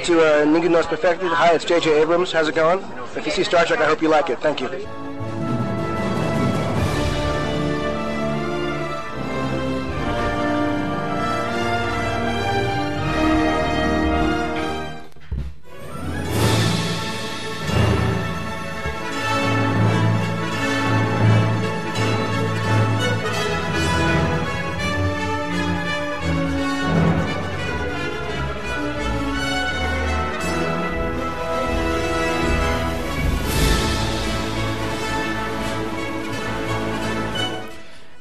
to Ningún No Es Perfecto. Hi, it's J.J. Abrams. How's it going? If you see Star Trek, I hope you like it. Thank you.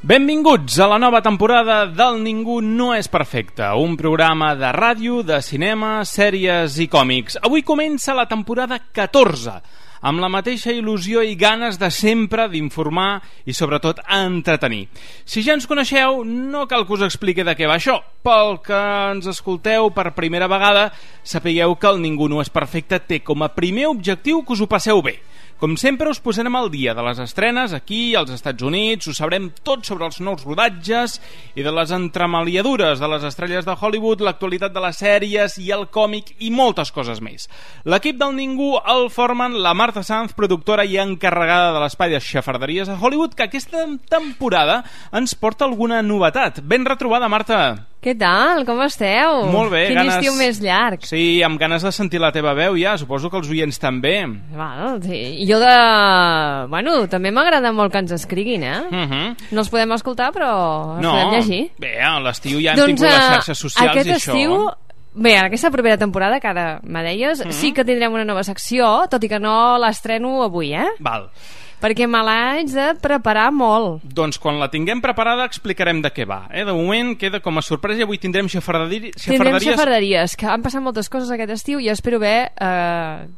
Benvinguts a la nova temporada del Ningú No És Perfecte, un programa de ràdio, de cinema, sèries i còmics. Avui comença la temporada 14, amb la mateixa il·lusió i ganes de sempre d'informar i sobretot entretenir. Si ja ens coneixeu, no cal que us expliqui de què va això. Pel que ens escolteu per primera vegada, sapigueu que el Ningú No És Perfecte té com a primer objectiu que us ho passeu bé. Com sempre, us posarem al dia de les estrenes aquí, als Estats Units, us sabrem tot sobre els nous rodatges i de les entremaliadures de les estrelles de Hollywood, l'actualitat de les sèries i el còmic i moltes coses més. L'equip del Ningú el formen la Marta Sanz, productora i encarregada de l'espai de xafarderies a Hollywood, que aquesta temporada ens porta alguna novetat. Ben retrobada, Marta! Què tal? Com esteu? Molt bé. Quin estiu més llarg. Sí, amb ganes de sentir la teva veu ja, suposo que els oients també. Bueno, sí. Jo també m'agrada molt que ens escriguin, No els podem escoltar, però els podem llegir. Bé, a l'estiu ja hem tingut les xarxes socials aquest i això. Estiu, bé, en aquesta propera temporada, que ara me deies, sí que tindrem una nova secció, tot i que no l'estreno avui, Val. Perquè me l'haig de preparar molt. Doncs quan la tinguem preparada explicarem de què va. De moment queda com a sorpresa i avui tindrem xafarderies. Tindrem xafarderies, que han passat moltes coses aquest estiu i espero haver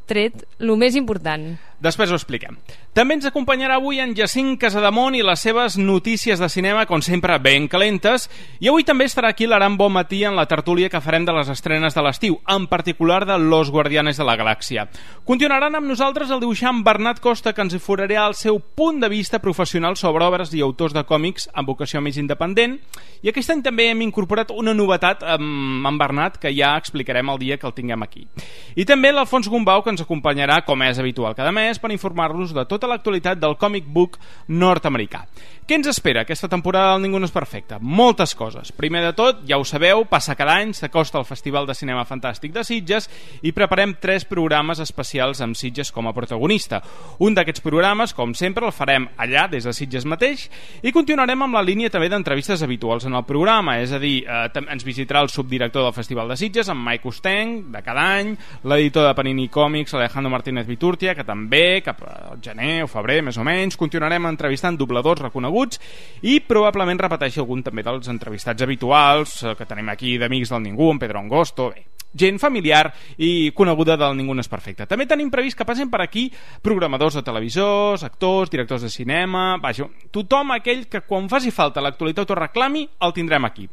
tret el més important. Després ho expliquem. També ens acompanyarà avui en Jacint Casademont i les seves notícies de cinema, com sempre, ben calentes. I avui també estarà aquí l'Aran Bonmatí en la tertúlia que farem de les estrenes de l'estiu, en particular de Los Guardianes de la Galàxia. Continuaran amb nosaltres el dibuixant Bernat Costa, que ens oferirà el seu punt de vista professional sobre obres i autors de còmics amb vocació més independent. I aquest any també hem incorporat una novetat amb Bernat, que ja explicarem el dia que el tinguem aquí. I també l'Alfons Gombau, que ens acompanyarà, com és habitual cada mes, per informar-los de tota l'actualitat del comic book nord-americà. Què ens espera aquesta temporada del Ningú No És Perfecte? Moltes coses. Primer de tot, ja ho sabeu, passa cada any, s'acosta el Festival de Cinema Fantàstic de Sitges i preparem 3 programes especials amb Sitges com a protagonista. Un d'aquests programes, com sempre, el farem allà, des de Sitges mateix, i continuarem amb la línia també d'entrevistes habituals en el programa, és a dir, ens visitarà el subdirector del Festival de Sitges, en Mike Ustenc, de cada any, l'editor de Panini Còmics, Alejandro Martínez Viturtia, que també, cap al gener o febrer, més o menys, continuarem entrevistant dobladors reconeguts i probablement repeteixi algun també dels entrevistats habituals que tenim aquí d'Amics del Ningú, en Pedro Angosto, gent familiar i coneguda del Ningú No És Perfecte. També tenim previst que passin per aquí programadors de televisors, actors, directors de cinema, vaja, tothom aquell que quan faci falta l'actualitat o reclami el tindrem aquí.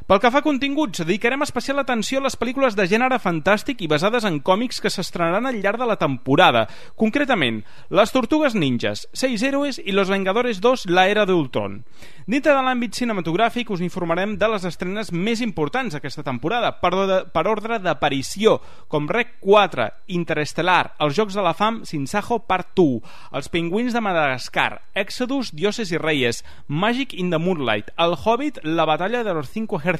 Pel que fa a continguts, dedicarem especial atenció a les pel·lícules de gènere fantàstic i basades en còmics que s'estrenaran al llarg de la temporada. Concretament, Les Tortugues Ninjas, 6 Héroes i Los Vengadores 2, La Era de Ultron. Dintre de l'àmbit cinematogràfic us informarem de les estrenes més importants d'aquesta temporada, per ordre d'aparició, com Rec 4, Interestelar, Els Jocs de la Fam, Sinsajo Part 2, Els Pingüins de Madagascar, Exodus, Dioses y Reyes, Magic in the Moonlight, El Hobbit, La Batalla de los 5 Ejércitos,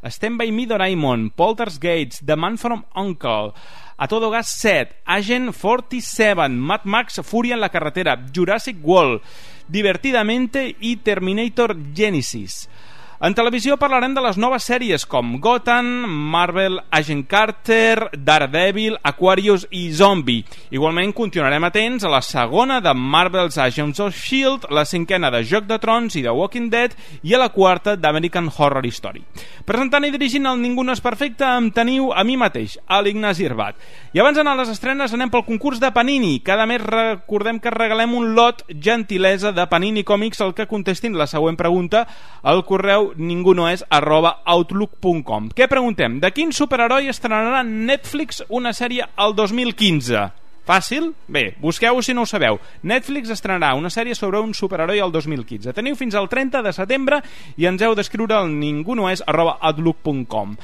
Stand By Me Doraemon, Poltergeist, The Man from U.N.C.L., A Todo Gas 7, Agent 47, Mad Max, Furia en la Carretera, Jurassic World, Divertidamente i Terminator Genesis. En televisió parlarem de les noves sèries com Gotham, Marvel, Agent Carter, Daredevil, Aquarius i Zombie. Igualment continuarem atents a la segona de Marvel's Agents of S.H.I.E.L.D., la 5a de Joc de Trons i de Walking Dead i a la 4a d'American Horror Story. Presentant i dirigint el Ningú No És Perfecte em teniu a mi mateix, a l'Ignasi Irbat. I abans d'anar a les estrenes anem pel concurs de Panini. Cada mes recordem que regalem un lot gentilesa de Panini Còmics al que contestin la següent pregunta al correu ningunoes@outlook.com. Què preguntem? De quin superheroi estrenarà Netflix una sèrie al 2015? Fàcil? Bé, busqueu-ho si no ho sabeu. Netflix estrenarà una sèrie sobre un superheroi al 2015. Teniu fins al 30 de setembre i ens heu d'escriure al ningunoes@outlook.com.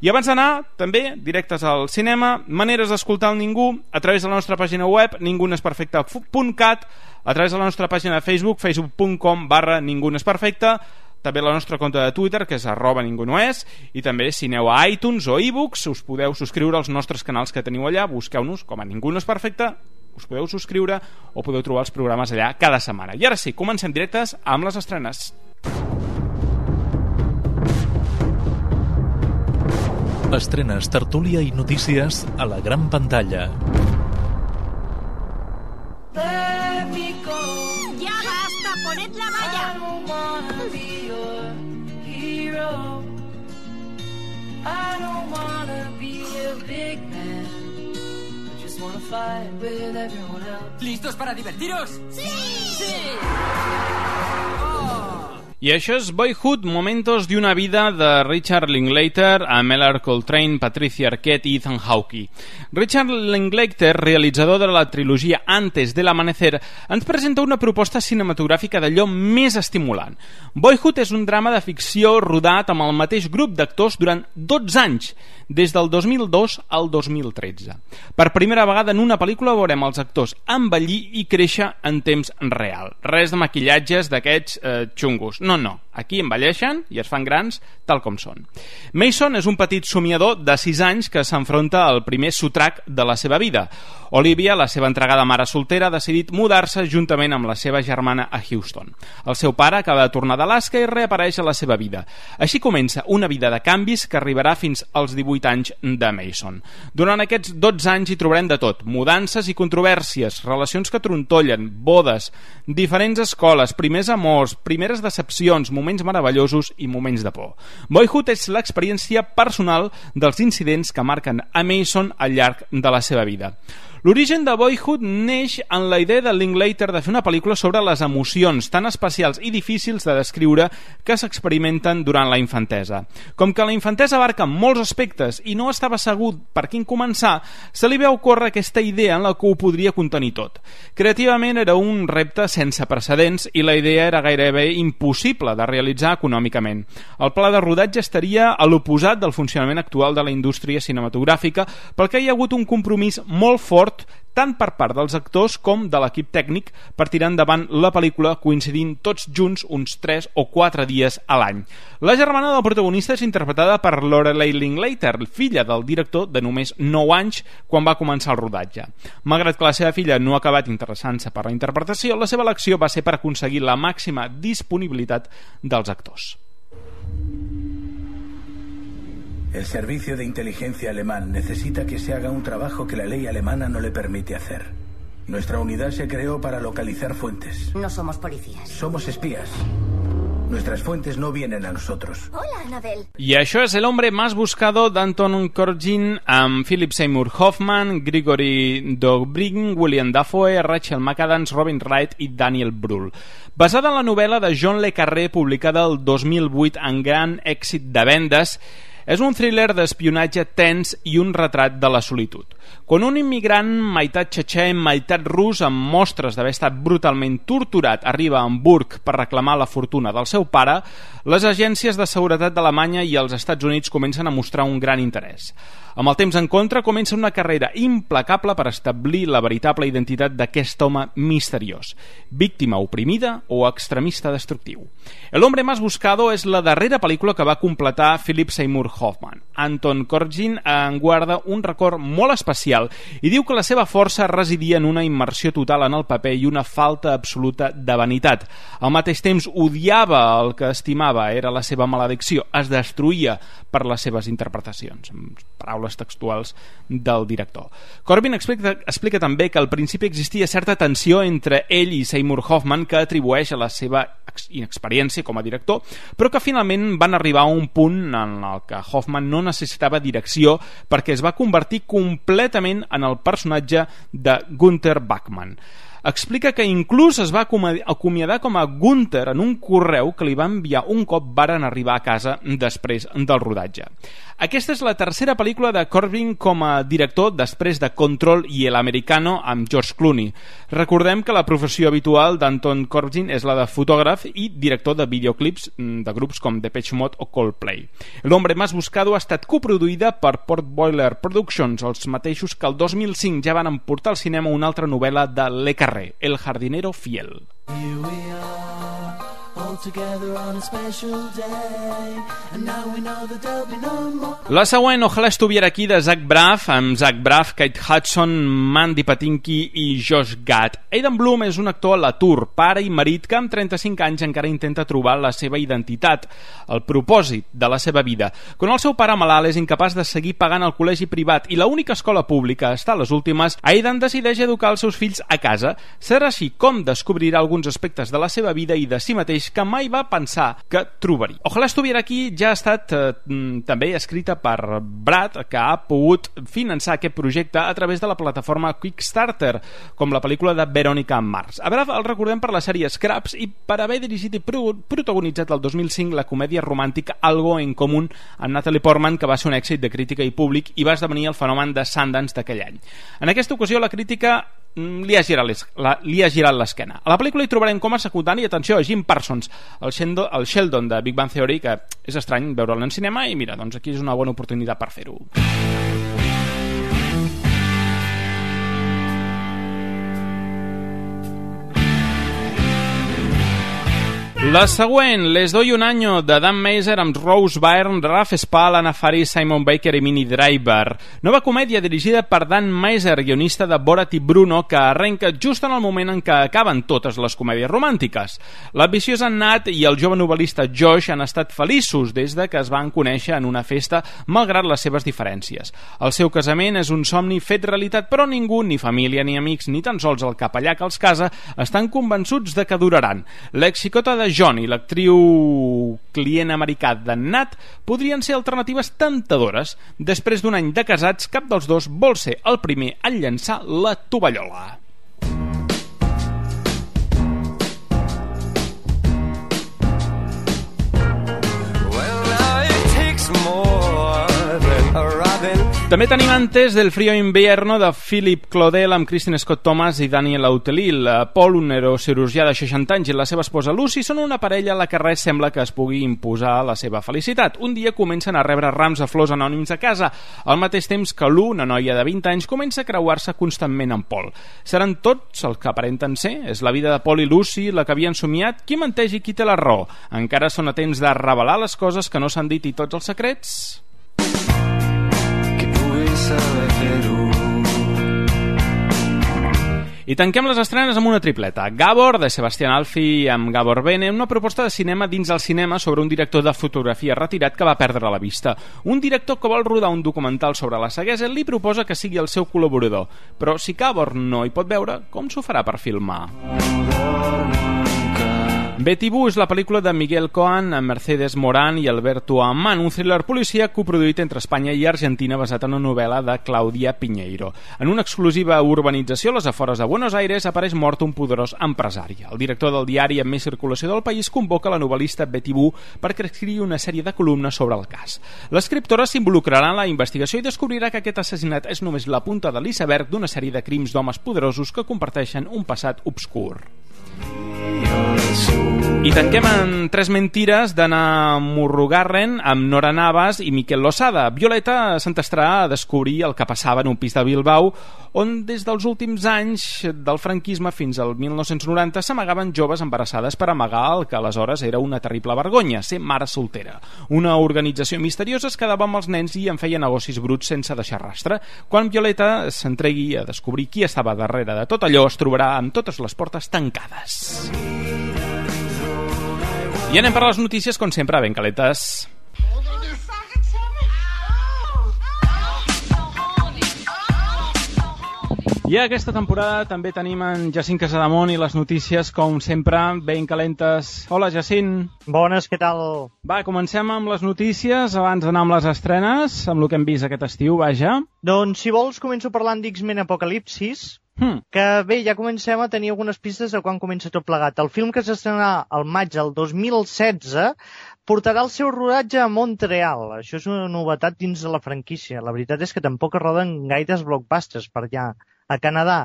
I abans d'anar, també, directes al cinema, maneres d'escoltar el Ningú a través de la nostra pàgina web, ningunesperfecte.cat, a través de la nostra pàgina de Facebook, facebook.com/ningunesperfecte, també la nostra compte de Twitter, que és @ningunoes, i també si aneu a iTunes o ebooks us podeu subscriure als nostres canals que teniu allà, busqueu-nos com a Ningú no és perfecte, us podeu subscriure o podeu trobar els programes allà cada setmana. I ara sí, comencem directes amb les estrenes. Estrenes, tertúlia i notícies a la gran pantalla. ¡Ya basta! ¡Poned la valla! ¿Listos para divertiros? ¡Sí! I això és Boyhood, momentos de una vida de Richard Linklater, amb Ellar Coltrane, Patricia Arquette i Ethan Hawke. Richard Linklater, realitzador de la trilogia Antes del Amanecer, ens presenta una proposta cinematogràfica d'allò més estimulant. Boyhood és un drama de ficció rodat amb el mateix grup d'actors durant 12 anys, des del 2002 al 2013. Per primera vegada en una pel·lícula veurem els actors envellir i créixer en temps real. Res de maquillatges d'aquests xungos. No. Aquí envelleixen i es fan grans tal com són. Mason és un petit somiador de 6 anys que s'enfronta al primer sotrac de la seva vida. Olivia, la seva entregada mare soltera, ha decidit mudar-se juntament amb la seva germana a Houston. El seu pare acaba de tornar d'Alaska i reapareix a la seva vida. Així comença una vida de canvis que arribarà fins als 18 anys de Mason. Durant aquests 12 anys hi trobarem de tot: mudances i controvèrsies, relacions que trontollen, bodes, diferents escoles, primers amors, primeres decepcions, moments meravellosos i moments de por. Boyhood és l'experiència personal dels incidents que marquen a Mason al llarg de la seva vida. L'origen de Boyhood neix en la idea de Linklater de fer una pel·lícula sobre les emocions tan especials i difícils de descriure que s'experimenten durant la infantesa. Com que la infantesa abarca molts aspectes i no estava segur per quin començar, se li veu córrer aquesta idea en la que ho podria contenir tot. Creativament era un repte sense precedents i la idea era gairebé impossible de realitzar econòmicament. El pla de rodatge estaria a l'oposat del funcionament actual de la indústria cinematogràfica, perquè hi ha hagut un compromís molt fort tant per part dels actors com de l'equip tècnic per tirar endavant la pel·lícula coincidint tots junts uns 3 o 4 dies a l'any. La germana del protagonista és interpretada per Lorelei Linklater, filla del director de només 9 anys quan va començar el rodatge. Malgrat que la seva filla no ha acabat interessant-se per la interpretació, la seva elecció va ser per aconseguir la màxima disponibilitat dels actors. El servicio de inteligencia alemán necesita que se haga un trabajo que la ley alemana no le permite hacer. Nuestra unidad se creó para localizar fuentes. No somos policías. Somos espías. Nuestras fuentes no vienen a nosotros. Hola, Annabelle. I això és El hombre más buscado d'Anton Corbijn, amb Philip Seymour Hoffman, Grigory Dobrygin, William Dafoe, Rachel McAdams, Robin Wright i Daniel Brühl. Basada en la novel·la de John le Carré, publicada el 2008 amb gran èxit de vendes, és un thriller d'espionatge tens i un retrat de la solitud. Quan un immigrant meitat txetxè, meitat rus, amb mostres d'haver estat brutalment torturat, arriba a Hamburg per reclamar la fortuna del seu pare, les agències de seguretat d'Alemanya i els Estats Units comencen a mostrar un gran interès. Amb el temps en contra, comença una carrera implacable per establir la veritable identitat d'aquest home misteriós, víctima oprimida o extremista destructiu. El hombre más buscado és la darrera pel·lícula que va completar Philip Seymour Hoffman. Anton Corbijn en guarda un record molt especial i diu que la seva força residia en una immersió total en el paper i una falta absoluta de vanitat. Al mateix temps odiava el que estimava, era la seva maledicció, es destruïa per les seves interpretacions. Paraules textuals del director. Corbijn explica també que al principi existia certa tensió entre ell i Seymour Hoffman que atribueix a la seva inexperiència com a director, però que finalment van arribar a un punt en el que Hoffman no necessitava direcció perquè es va convertir completament en el personatge de Gunther Bachmann. explica que inclús es va acomiadar com a Gunther en un correu que li va enviar un cop varen arribar a casa després del rodatge. Aquesta és la tercera pel·lícula de Corbin com a director després de Control i El Americano amb George Clooney. Recordem que la professió habitual d'Anton Corbijn és la de fotògraf i director de videoclips de grups com Depeche Mode o Coldplay. El Hombre Más Buscado ha estat coproduïda per Port Boiler Productions, els mateixos que el 2005 ja van portar al cinema una altra novel·la de Le Carré, El jardinero fiel. La següent, Ojalá estuviera aquí, de Zach Braff, amb Zach Braff, Kate Hudson, Mandy Patinkin i Josh Gad. Aidan Bloom és un actor a l'atur, pare i marit que amb 35 anys encara intenta trobar la seva identitat, el propòsit de la seva vida. Quan el seu pare malalt és incapaç de seguir pagant el col·legi privat i l'única escola pública està a les últimes, Aidan decideix educar els seus fills a casa. Serà així com descobrirà alguns aspectes de la seva vida i de si mateix que mai va pensar que trobaria. Ojalá estuviera aquí ja ha estat també escrita per Brad, que ha pogut finançar aquest projecte a través de la plataforma Kickstarter, com la pel·lícula de Verónica Mars. A Brad el recordem per la sèrie Scraps i per haver dirigit i protagonitzat el 2005 la comèdia romàntica Algo en Común amb Natalie Portman, que va ser un èxit de crítica i públic i va esdevenir el fenomen de Sundance d'aquell any. En aquesta ocasió la crítica li ha girat l'esquena. A la pel·lícula hi trobarem com a secundari, atenció, a Jim Parsons, el Sheldon de Big Bang Theory, que és estrany veure'l en cinema i mira, doncs aquí és una bona oportunitat per fer-ho. La següent, Les doy un año, de Dan Meiser amb Rose Byrne, Ralph Spall, Anna Faris, Simon Baker i Minnie Driver. Nova comèdia dirigida per Dan Meiser, guionista de Borat i Bruno, que arrenca just en el moment en què acaben totes les comèdies romàntiques. L'ambiciosa Nat i el jove novel·lista Josh han estat feliços des de que es van conèixer en una festa, malgrat les seves diferències. El seu casament és un somni fet realitat, però ningú, ni família ni amics, ni tan sols el capellà que els casa, estan convençuts de que duraran. L'ex-xicota de John i l'actriu client americà de Nat podrien ser alternatives temptadores. Després d'un any de casats, cap dels dos vol ser el primer a llançar la tovallola. També tenim Antes del frío invierno de Philip Claudel amb Kristen Scott Thomas i Daniel Autelil. Paul, un neurocirurgià de 60 anys, i la seva esposa Lucy són una parella a la que res sembla que es pugui imposar la seva felicitat. Un dia comencen a rebre rams de flors anònims a casa, al mateix temps que Lou, una noia de 20 anys, comença a creuar-se constantment amb Paul. Seran tots el que aparenten ser? És la vida de Paul i Lucy la que havien somiat? Qui menteix i qui té la raó? Encara són a temps de revelar les coses que no s'han dit i tots els secrets? I tanquem les estrenes amb una tripleta. Gabor, de Sebastián Alfi amb Gabor Bene, una proposta de cinema dins el cinema sobre un director de fotografia retirat que va perdre la vista. Un director que vol rodar un documental sobre la ceguesa li proposa que sigui el seu col·laborador. Però si Gabor no hi pot veure, com s'ho farà per filmar? Betty Boo és la pel·lícula de Miguel Coan amb Mercedes Morán i Alberto Amman, un thriller policíac coproduït entre Espanya i Argentina basat en una novel·la de Claudia Piñeiro. En una exclusiva urbanització a les afores de Buenos Aires apareix mort un poderós empresari. El director del diari amb més circulació del país convoca la novel·lista Betty Boo perquè escrigui una sèrie de columnes sobre el cas. L'escriptora s'involucrarà en la investigació i descobrirà que aquest assassinat és només la punta de l'iceberg d'una sèrie de crims d'homes poderosos que comparteixen un passat obscur. I tanquem en Tres mentires d'Anna Murrugarren amb Nora Navas i Miquel Losada. Violeta s'entestarà a descobrir el que passava en un pis de Bilbao on des dels últims anys del franquisme fins al 1990 s'amagaven joves embarassades per amagar el que aleshores era una terrible vergonya, ser mare soltera. Una organització misteriosa es quedava amb els nens i en feia negocis bruts sense deixar rastre. Quan Violeta s'entregui a descobrir qui estava darrere de tot allò, es trobarà amb totes les portes tancades. I anem per les notícies, com sempre, ben calentes. I aquesta temporada també tenim en Jacint Casademont i les notícies, com sempre, ben calentes. Hola, Jacint. Bones, què tal? Va, comencem amb les notícies, abans d'anar amb les estrenes, amb el que hem vist aquest estiu, vaja. Doncs, si vols, començo parlant d'X-Men Apocalipsis, Que bé, ja comencem a tenir algunes pistes de quan comença tot plegat. El film que s'estrenarà al maig del 2016 portarà el seu rodatge a Montreal. Això és una novetat dins de la franquícia. La veritat és que tampoc es roden gaires blockbusters per allà, a Canadà.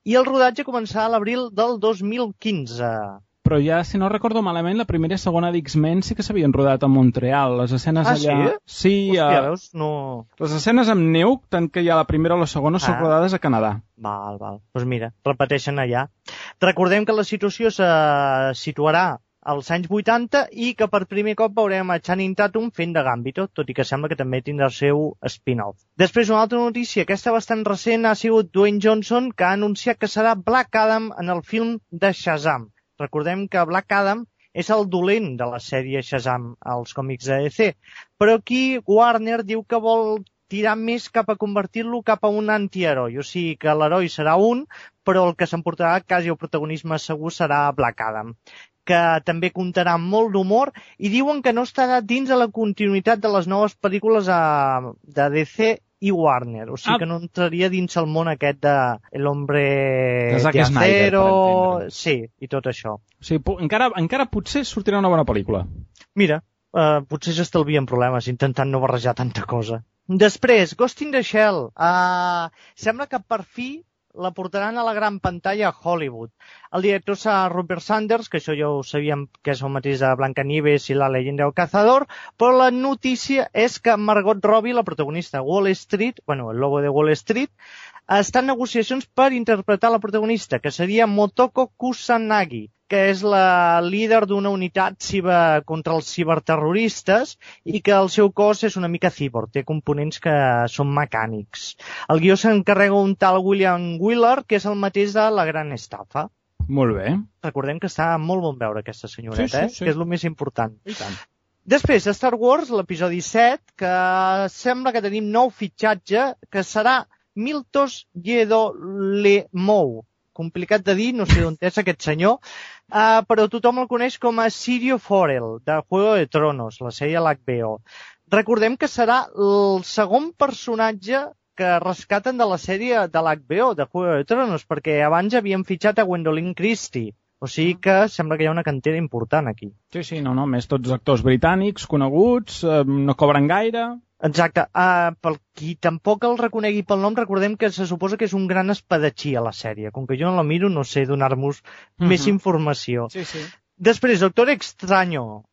I el rodatge començarà a l'abril del 2015. Però ja, si no recordo malament, la primera i segona d'X-Men sí que s'havien rodat a Montreal. Les escenes allà... Sí? Hòstia, veus? No... Les escenes amb neu, tant que hi ha la primera o la segona, són rodades a Canadà. Val. Doncs mira, repeteixen allà. Recordem que la situació se situarà als anys 80 i que per primer cop veurem a Channing Tatum fent de Gambito, tot i que sembla que també tindrà el seu spin-off. Després, una altra notícia, aquesta bastant recent, ha sigut Dwayne Johnson, que ha anunciat que serà Black Adam en el film de Shazam. Recordem que Black Adam és el dolent de la sèrie Shazam als còmics de DC, però aquí Warner diu que vol tirar més cap a convertir-lo cap a un antiheroi, o sigui que l'heroi serà un, però el que s'emportarà quasi el protagonisme segur serà Black Adam, que també comptarà amb molt d'humor i diuen que no estarà dins de la continuïtat de les noves pel·lícules de DC i Warner, o sigui que no entraria dins el món aquest de l'Hombre de Acero, sí, i tot això. O sigui, encara potser sortirà una bona pel·lícula. Mira, potser s'estalvien problemes intentant no barrejar tanta cosa. Després, Ghost in the Shell. Sembla que per fi la portaran a la gran pantalla a Hollywood. El director serà Rupert Sanders, que això ja ho sabíem que és el mateix de Blancanieves i la leyenda del cazador, però la notícia és que Margot Robbie, la protagonista Wall Street, el lobo de Wall Street, està en negociacions per interpretar la protagonista, que seria Motoko Kusanagi, que és la líder d'una unitat contra els ciberterroristes i que el seu cos és una mica cyborg, té components que són mecànics. El guió s'encarrega un tal William Wheeler, que és el mateix de La Gran Estafa. Molt bé. Recordem que està molt bon veure aquesta senyoreta, sí. Que és el més important. I tant. Després, Star Wars, l'episodi 7, que sembla que tenim nou fitxatge, que serà Miltos Yedolemou. Complicat de dir, no sé d'on és aquest senyor, però tothom el coneix com a Sirio Forel, de Juego de Tronos, la sèrie a l'HBO. Recordem que serà el segon personatge que rescaten de la sèrie de l'HBO, de Juego de Tronos, perquè abans havien fitxat a Gwendolyn Christie. O sigui que sembla que hi ha una cantera important aquí. Sí, no, més tots actors britànics, coneguts, no cobren gaire... Exacte. Per qui tampoc el reconegui pel nom, recordem que se suposa que és un gran espadatxí a la sèrie. Com que jo no la miro, no sé donar-vos més informació. Sí. Després, Doctor Extraño.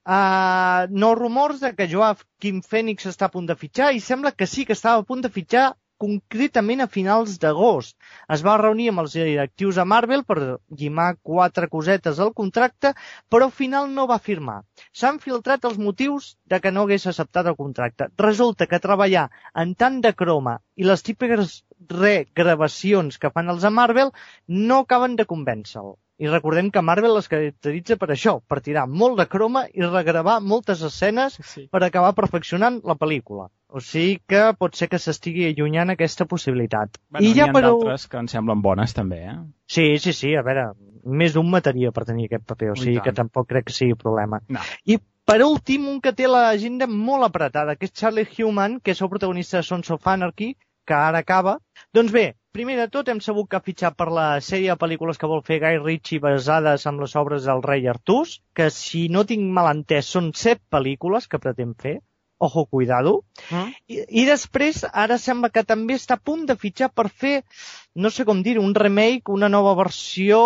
Nous rumors de que Joaquin Phoenix està a punt de fitxar i sembla que sí que estava a punt de fitxar concretament a finals d'agost. Es va reunir amb els directius a Marvel per llimar 4 cosetes al contracte, però al final no va firmar. S'han filtrat els motius de que no hagués acceptat el contracte. Resulta que treballar en tant de croma i les típiques regravacions que fan els a Marvel no acaben de convèncer-lo. I recordem que Marvel es caracteritza per això, per tirar molt de croma i regravar moltes escenes per acabar perfeccionant la pel·lícula. O sigui que pot ser que s'estigui allunyant aquesta possibilitat. Bueno, n'hi ha d'altres que em semblen bones també, eh? Sí, a veure, més d'un mataria per tenir aquest paper, o sigui que tampoc crec que sigui problema. No. I per últim, un que té l'agenda molt apretada, que és Charlie Hunnam, que és el protagonista de Sons of Anarchy, que ara acaba. Doncs bé, primer de tot hem sabut que ha fitxat per la sèrie de pel·lícules que vol fer Guy Ritchie basades en les obres del rei Artús, que si no tinc mal entès són 7 pel·lícules que pretén fer. Ojo, cuidado. I després, ara sembla que també està a punt de fitxar per fer, no sé com dir-ho, un remake, una nova versió,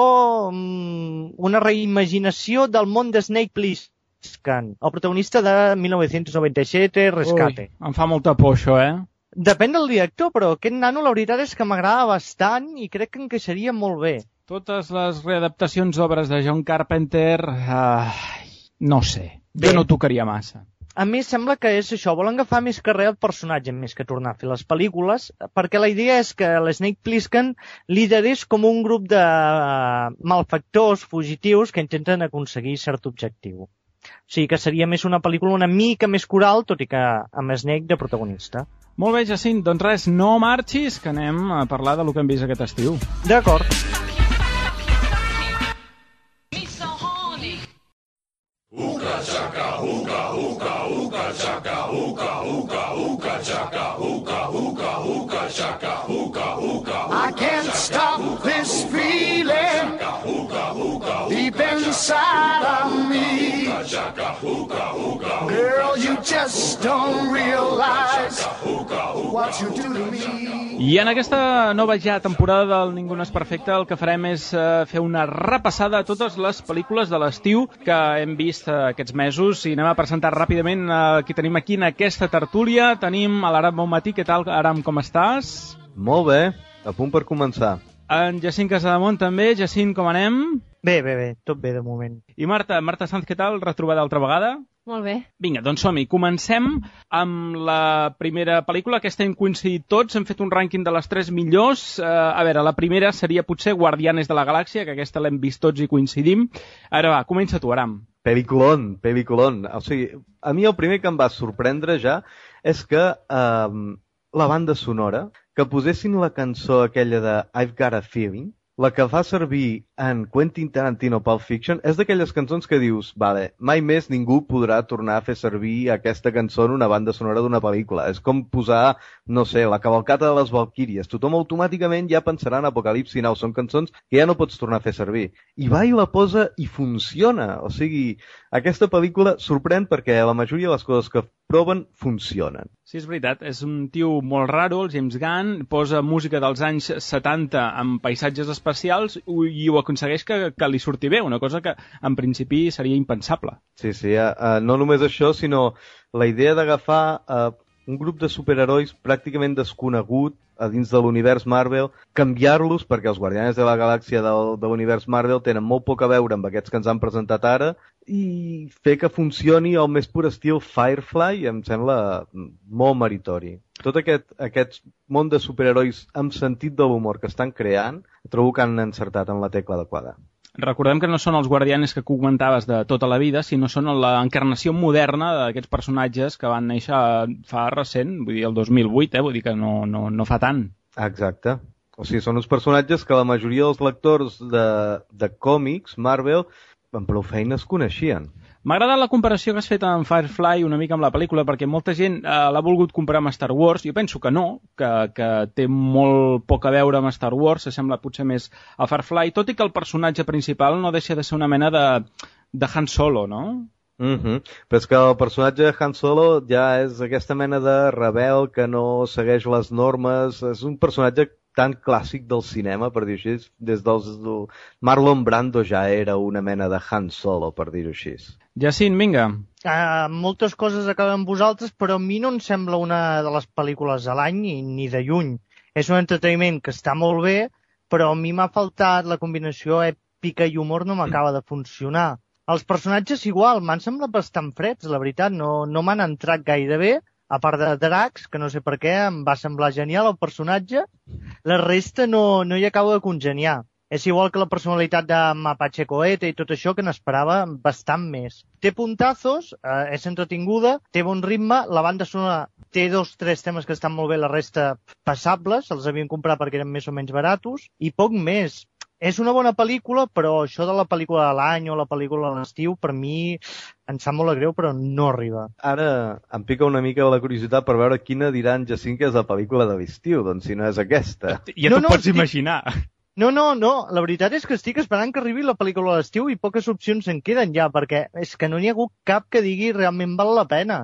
una reimaginació del món de Snake Plissken, el protagonista de 1997, Rescate. Ui, em fa molta por això, Depèn del director, però aquest nano la veritat és que m'agrada bastant i crec que encaixaria molt bé. Totes les readaptacions d'obres de John Carpenter, no sé, jo no tocaria massa. A més, sembla que és això, volen agafar més carrer el personatge més que tornar a fer les pel·lícules, perquè la idea és que l'Snake Plissken liderés com un grup de malfactors fugitius que intenten aconseguir cert objectiu. O sigui que seria més una pel·lícula una mica més coral, tot i que amb Snake de protagonista. Molt bé, Jacint, doncs res, no marxis, que anem a parlar del que hem vist aquest estiu. D'acord. I can't stop this inside of me. Girl, you just don't realize what you do to me. I en aquesta nova ja temporada del Ningú no és perfecte el que farem és fer una repassada a totes les pel·lícules de l'estiu que hem vist aquests mesos i anem a presentar ràpidament qui tenim aquí en aquesta tertúlia. Tenim a l'Aram Bonmatí. Què tal, Aram, com estàs? Molt bé, a punt per començar. En Jacint Casademont també. Jacint, com anem? Bé, tot bé de moment. I Marta Sanz, què tal? Retrobada altra vegada? Molt bé. Vinga, doncs som-hi. Comencem amb la primera pel·lícula. Aquesta hem coincidit tots, hem fet un rànquing de les 3 millors. A veure, la primera seria potser Guardianes de la Galàxia, que aquesta l'hem vist tots i coincidim. Ara va, comença tu, Aram. Peliculón. O sigui, a mi el primer que em va sorprendre ja és que la banda sonora, que posessin la cançó aquella de I've Got a Feeling, la que fa servir en Quentin Tarantino Pulp Fiction, és d'aquelles cançons que dius, vale, mai més ningú podrà tornar a fer servir aquesta cançó en una banda sonora d'una pel·lícula. És com posar, no sé, la cavalcata de les Valquíries. Tothom automàticament ja pensarà en Apocalipsi Now. Són cançons que ja no pots tornar a fer servir. I va i la posa i funciona. O sigui, aquesta pel·lícula sorprèn perquè la majoria de les coses que proven funcionen. Sí, és veritat. És un tio molt raro, el James Gunn, posa música dels anys 70 amb paisatges especials i ho aconsegueix que li surti bé, una cosa que en principi seria impensable. Sí, no només això, sinó la idea d'agafar un grup de superherois pràcticament desconegut a dins de l'univers Marvel, canviar-los, perquè els Guardianes de la Galàxia de l'univers Marvel tenen molt poc a veure amb aquests que ens han presentat ara, i fer que funcioni al més pur estil Firefly em sembla molt meritori. Tot aquest món de superherois amb sentit de l'humor que estan creant, trobo que han encertat en la tecla adequada. Recordem que no són els Guardianes que comentaves de tota la vida, sinó són l'encarnació moderna d'aquests personatges que van néixer fa recent, vull dir el 2008, vull dir que no fa tant. Exacte. O sigui, són uns personatges que la majoria dels lectors de còmics, Marvel, amb prou feines coneixien. M'ha agradat la comparació que has fet amb Firefly una mica amb la pel·lícula, perquè molta gent l'ha volgut comparar amb Star Wars. Jo penso que no, que té molt poc a veure amb Star Wars, s'assembla potser més a Firefly, tot i que el personatge principal no deixa de ser una mena de Han Solo, no? Però és que el personatge de Han Solo ja és aquesta mena de rebel que no segueix les normes, és un personatge tan clàssic del cinema, per dir-ho així, des dels... Marlon Brando ja era una mena de Han Solo, per dir-ho així. Jacint, vinga. Moltes coses acaben amb vosaltres, però a mi no em sembla una de les pel·lícules de l'any ni de lluny. És un entreteniment que està molt bé, però a mi m'ha faltat la combinació èpica i humor, no m'acaba de funcionar. Els personatges igual, m'han semblat bastant freds, la veritat, no m'han entrat gaire bé. A part de Drax, que no sé per què, em va semblar genial el personatge, la resta no hi acabo de congeniar. És igual que la personalitat de Mapache Cohete i tot això, que n'esperava bastant més. Té puntazos, és entretinguda, té bon ritme, la banda sonora té 2-3 temes que estan molt bé, la resta passables, els havien comprat perquè eren més o menys baratos, i poc més. És una bona pel·lícula, però això de la pel·lícula de l'any o la pel·lícula de l'estiu, per mi em sap molt greu, però no arriba. Ara em pica una mica la curiositat per veure quina diran Jacint que és la pel·lícula de l'estiu, doncs si no és aquesta. Ja t'ho pots imaginar. No, la veritat és que estic esperant que arribi la pel·lícula de l'estiu i poques opcions en queden ja, perquè és que no n'hi ha hagut cap que digui realment val la pena.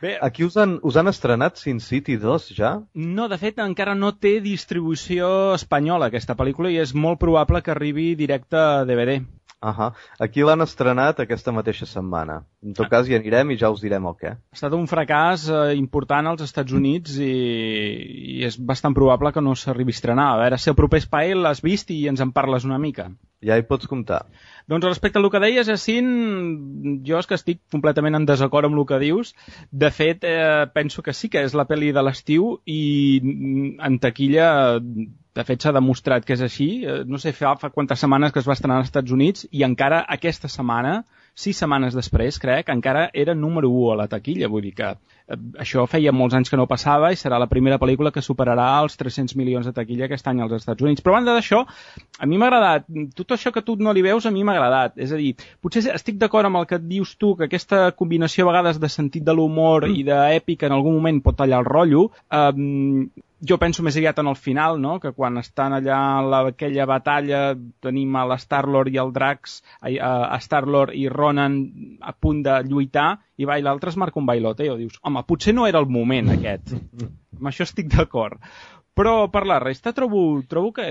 Bé, aquí us han estrenat Sin City 2 ja? No, de fet encara no té distribució espanyola aquesta pel·lícula i és molt probable que arribi directe a DVD. Aquí l'han estrenat aquesta mateixa setmana. En tot cas hi anirem i ja us direm el què. Ha estat un fracàs important als Estats Units i és bastant probable que no s'arribi a estrenar. A veure si el proper espai l'has vist i ens en parles una mica. Ja hi pots comptar. Doncs respecte al que deies, Jacint, jo és que estic completament en desacord amb el que dius. De fet, penso que sí que és la pel·li de l'estiu i en taquilla, de fet, s'ha demostrat que és així. No sé fa quantes setmanes que es va estrenar als Estats Units i encara aquesta setmana, 6 setmanes després, crec, encara era número 1 a la taquilla. Vull dir que això feia molts anys que no passava i serà la primera pel·lícula que superarà els 300 milions de taquilla aquest any als Estats Units. Però a banda d'això, a mi m'ha agradat. Tot això que tu no li veus, a mi m'ha agradat. És a dir, potser estic d'acord amb el que et dius tu, que aquesta combinació a vegades de sentit de l'humor i d'èpica en algun moment pot tallar el rotllo. Jo penso més aviat en el final, no? Que quan estan allà en aquella batalla tenim a l'Star-Lord i el Drax, a Star-Lord i Ronan a punt de lluitar i va i l'altre es marca un bailoteo. Dius, home, potser no era el moment aquest. Amb això estic d'acord. Però per la resta trobo que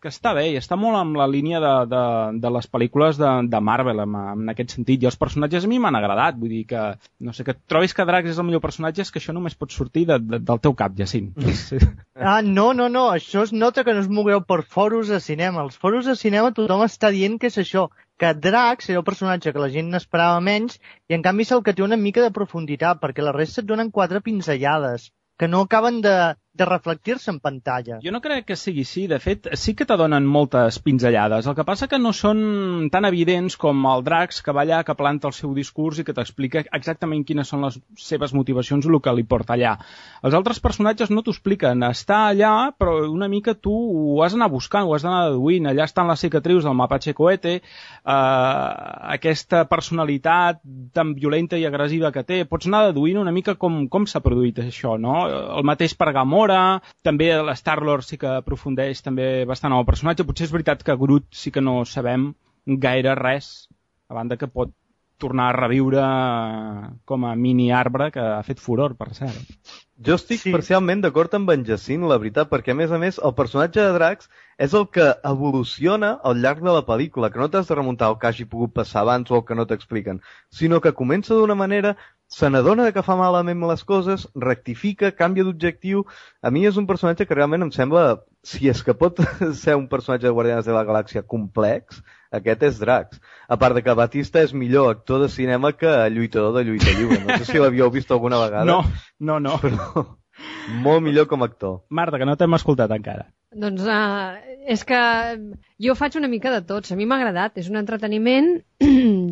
està bé i està molt amb la línia de les pel·lícules de Marvel en aquest sentit. I els personatges a mi m'han agradat. Vull dir que, no sé, que trobis que Drax és el millor personatge és que això només pot sortir del teu cap, Jacint. No. Això es nota que no es mogueu per foros de cinema. Els foros de cinema tothom està dient que és això, que Drax era el personatge que la gent n'esperava menys i en canvi és el que té una mica de profunditat, perquè la resta et donen 4 pinzellades que no acaben de reflectir-se en pantalla. Jo no crec que sigui així. De fet, sí que t'adonen moltes pinzellades. El que passa que no són tan evidents com el Drax, que va allà, que planta el seu discurs i que t'explica exactament quines són les seves motivacions i el que li porta allà. Els altres personatges no t'ho expliquen. Està allà, però una mica tu ho has d'anar buscant, ho has d'anar deduint. Allà estan les cicatrius del Mapache Cohete, aquesta personalitat tan violenta i agressiva que té. Pots anar deduint una mica com s'ha produït això, no? El mateix per Gamora, també l'Star-Lord sí que aprofundeix també bastant en el personatge. Potser és veritat que Groot sí que no sabem gaire res, a banda que pot tornar a reviure com a mini arbre que ha fet furor, per cert. Jo estic parcialment d'acord amb en Jacint, la veritat, perquè a més, el personatge de Drax és el que evoluciona al llarg de la pel·lícula, que no t'has de remuntar al que hagi pogut passar abans o el que no t'expliquen, sinó que comença d'una manera, se n'adona que fa malament les coses, rectifica, canvia d'objectiu. A mi és un personatge que realment em sembla, si és que pot ser un personatge de Guardians de la Galàxia complex, aquest és Drax. A part de que Batista és millor actor de cinema que lluitador de lluita lliure. No sé si l'havíeu vist alguna vegada. No. Però molt millor com a actor. Marta, que no t'hem escoltat encara. Doncs és que jo faig una mica de tots. A mi m'ha agradat, és un entreteniment.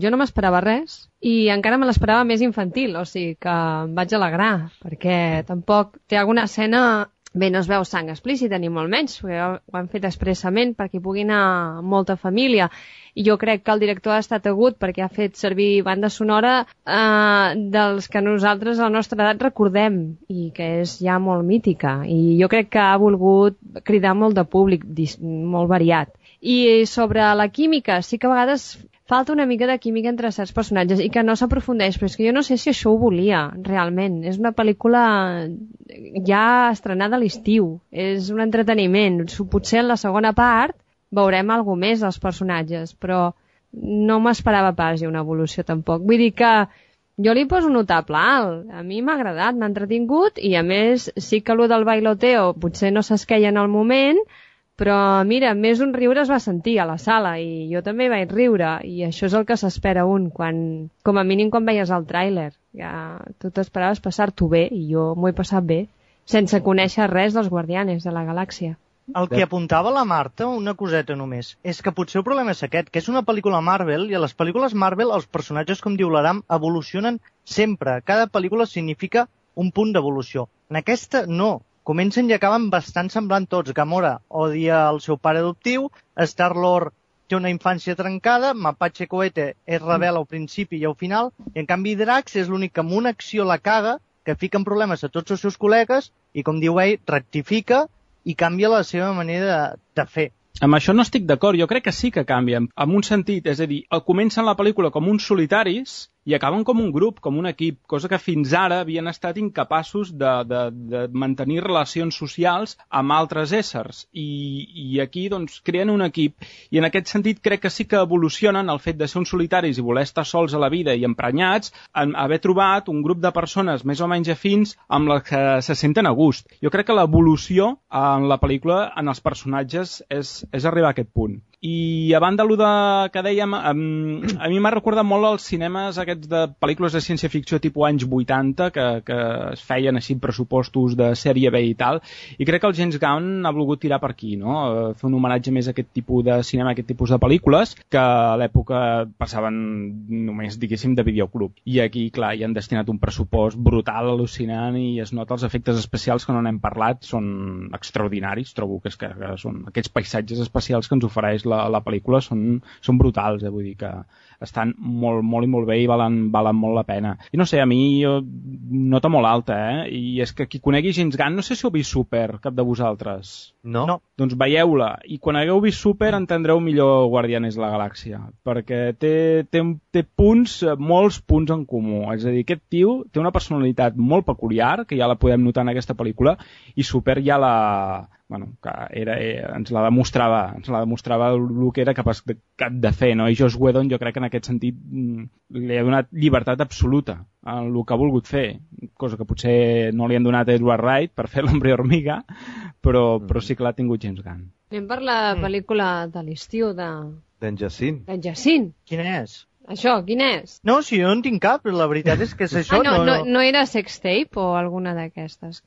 Jo no m'esperava res i encara me l'esperava més infantil, o sigui que em vaig alegrar, perquè tampoc té alguna escena... Bé, no es veu sang explícita ni molt menys, perquè ho han fet expressament perquè hi pugui anar molta família. I jo crec que el director ha estat agut perquè ha fet servir banda sonora dels que nosaltres a la nostra edat recordem i que és ja molt mítica. I jo crec que ha volgut cridar molt de públic, molt variat. I sobre la química, sí que a vegades falta una mica de química entre certs personatges i que no s'aprofundeix, però és que jo no sé si això ho volia, realment. És una pel·lícula ja estrenada a l'estiu, és un entreteniment. Potser en la segona part veurem alguna més dels personatges, però no m'esperava pas una evolució tampoc. Vull dir que jo li poso un notable alt. A mi m'ha agradat, m'ha entretingut i a més sí que allò del bailoteo potser no s'esqueia en el moment, però mira, més un riure es va sentir a la sala i jo també vaig riure i això és el que s'espera com a mínim quan veies el tràiler. Ja, tu t'esperaves passar-t'ho bé i jo m'ho he passat bé, sense conèixer res dels Guardianes de la Galàxia. El que apuntava la Marta, una coseta només, és que potser el problema és aquest, que és una pel·lícula Marvel i a les pel·lícules Marvel els personatges, com diu l'Aram, evolucionen sempre. Cada pel·lícula significa un punt d'evolució. En aquesta no. Comencen i acaben bastant semblant tots. Gamora odia el seu pare adoptiu, Star-Lord té una infància trencada, Mapache Cohete és rebel al principi i al final, i en canvi Drax és l'únic que amb una acció la caga, que fica en problemes a tots els seus col·legues i, com diu ell, rectifica i canvia la seva manera de fer. Amb això no estic d'acord, jo crec que sí que canvien, en un sentit, és a dir, comencen la pel·lícula com uns solitaris i acaben com un grup, com un equip, cosa que fins ara havien estat incapaços de mantenir relacions socials amb altres éssers. I aquí, doncs, creen un equip. I en aquest sentit crec que sí que evolucionen el fet de ser uns solitaris i voler estar sols a la vida i emprenyats, en haver trobat un grup de persones més o menys afins amb les que se senten a gust. Jo crec que l'evolució en la pel·lícula, en els personatges, és arribar a aquest punt. I a banda que dèiem, a mi m'ha recordat molt els cinemes aquests de pel·lícules de ciència-ficció tipus anys 80 que es feien així pressupostos de sèrie B i tal, i crec que el James Gunn ha volgut tirar per aquí, no? Fer un homenatge més a aquest tipus de cinema, a aquest tipus de pel·lícules que a l'època passaven només, diguéssim, de videoclub. I aquí, clar, hi han destinat un pressupost brutal, al·lucinant, i es nota els efectes especials que no n'hem parlat, són extraordinaris, trobo que són aquests paisatges especials que ens ofereix la pel·lícula són brutals, vull dir que estan molt, molt i molt bé i valen molt la pena. I no sé, a mi nota molt alta, I és que qui conegui James Gunn, no sé si heu vist Super, cap de vosaltres. No. Doncs veieu-la, i quan hagueu vist Super entendreu millor Guardianes de la Galàxia, perquè té punts, molts punts en comú. És a dir, aquest tio té una personalitat molt peculiar, que ja la podem notar en aquesta pel·lícula, i Super ja ens la demostrava el que era capaç de fer, no? I Joss Whedon jo crec que en aquest sentit li ha donat llibertat absoluta en el que ha volgut fer, cosa que potser no li han donat a Edward Wright per fer l'Hombre Hormiga, però sí que l'ha tingut James Gunn. Anem per la pel·lícula de l'estiu d'en Jacint. D'en Jacint. Quina és? Això, quin és? No, si jo no en tinc cap, però la veritat és que és això. No era Sextape o alguna d'aquestes?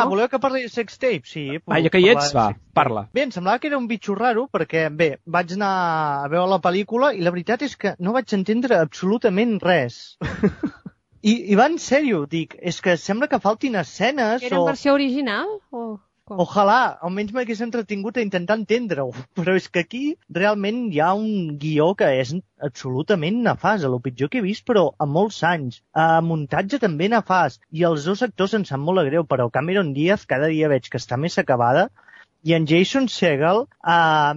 Voleu que parli de Sextape? Sí. Ja que hi ets, parla. Bé, em semblava que era un bitxo raro, perquè, vaig anar a veure la pel·lícula i la veritat és que no vaig entendre absolutament res. I va en sèrio, dic, és que sembla que faltin escenes Era en versió original o... Ojalà, almenys m'hagués entretingut a intentar entendre-ho, però és que aquí realment hi ha un guió que és absolutament nefast, el pitjor que he vist, però a molts anys. Muntatge també nefast, i els dos actors em sap molt greu, però Cameron Diaz cada dia veig que està més acabada, i en Jason Segel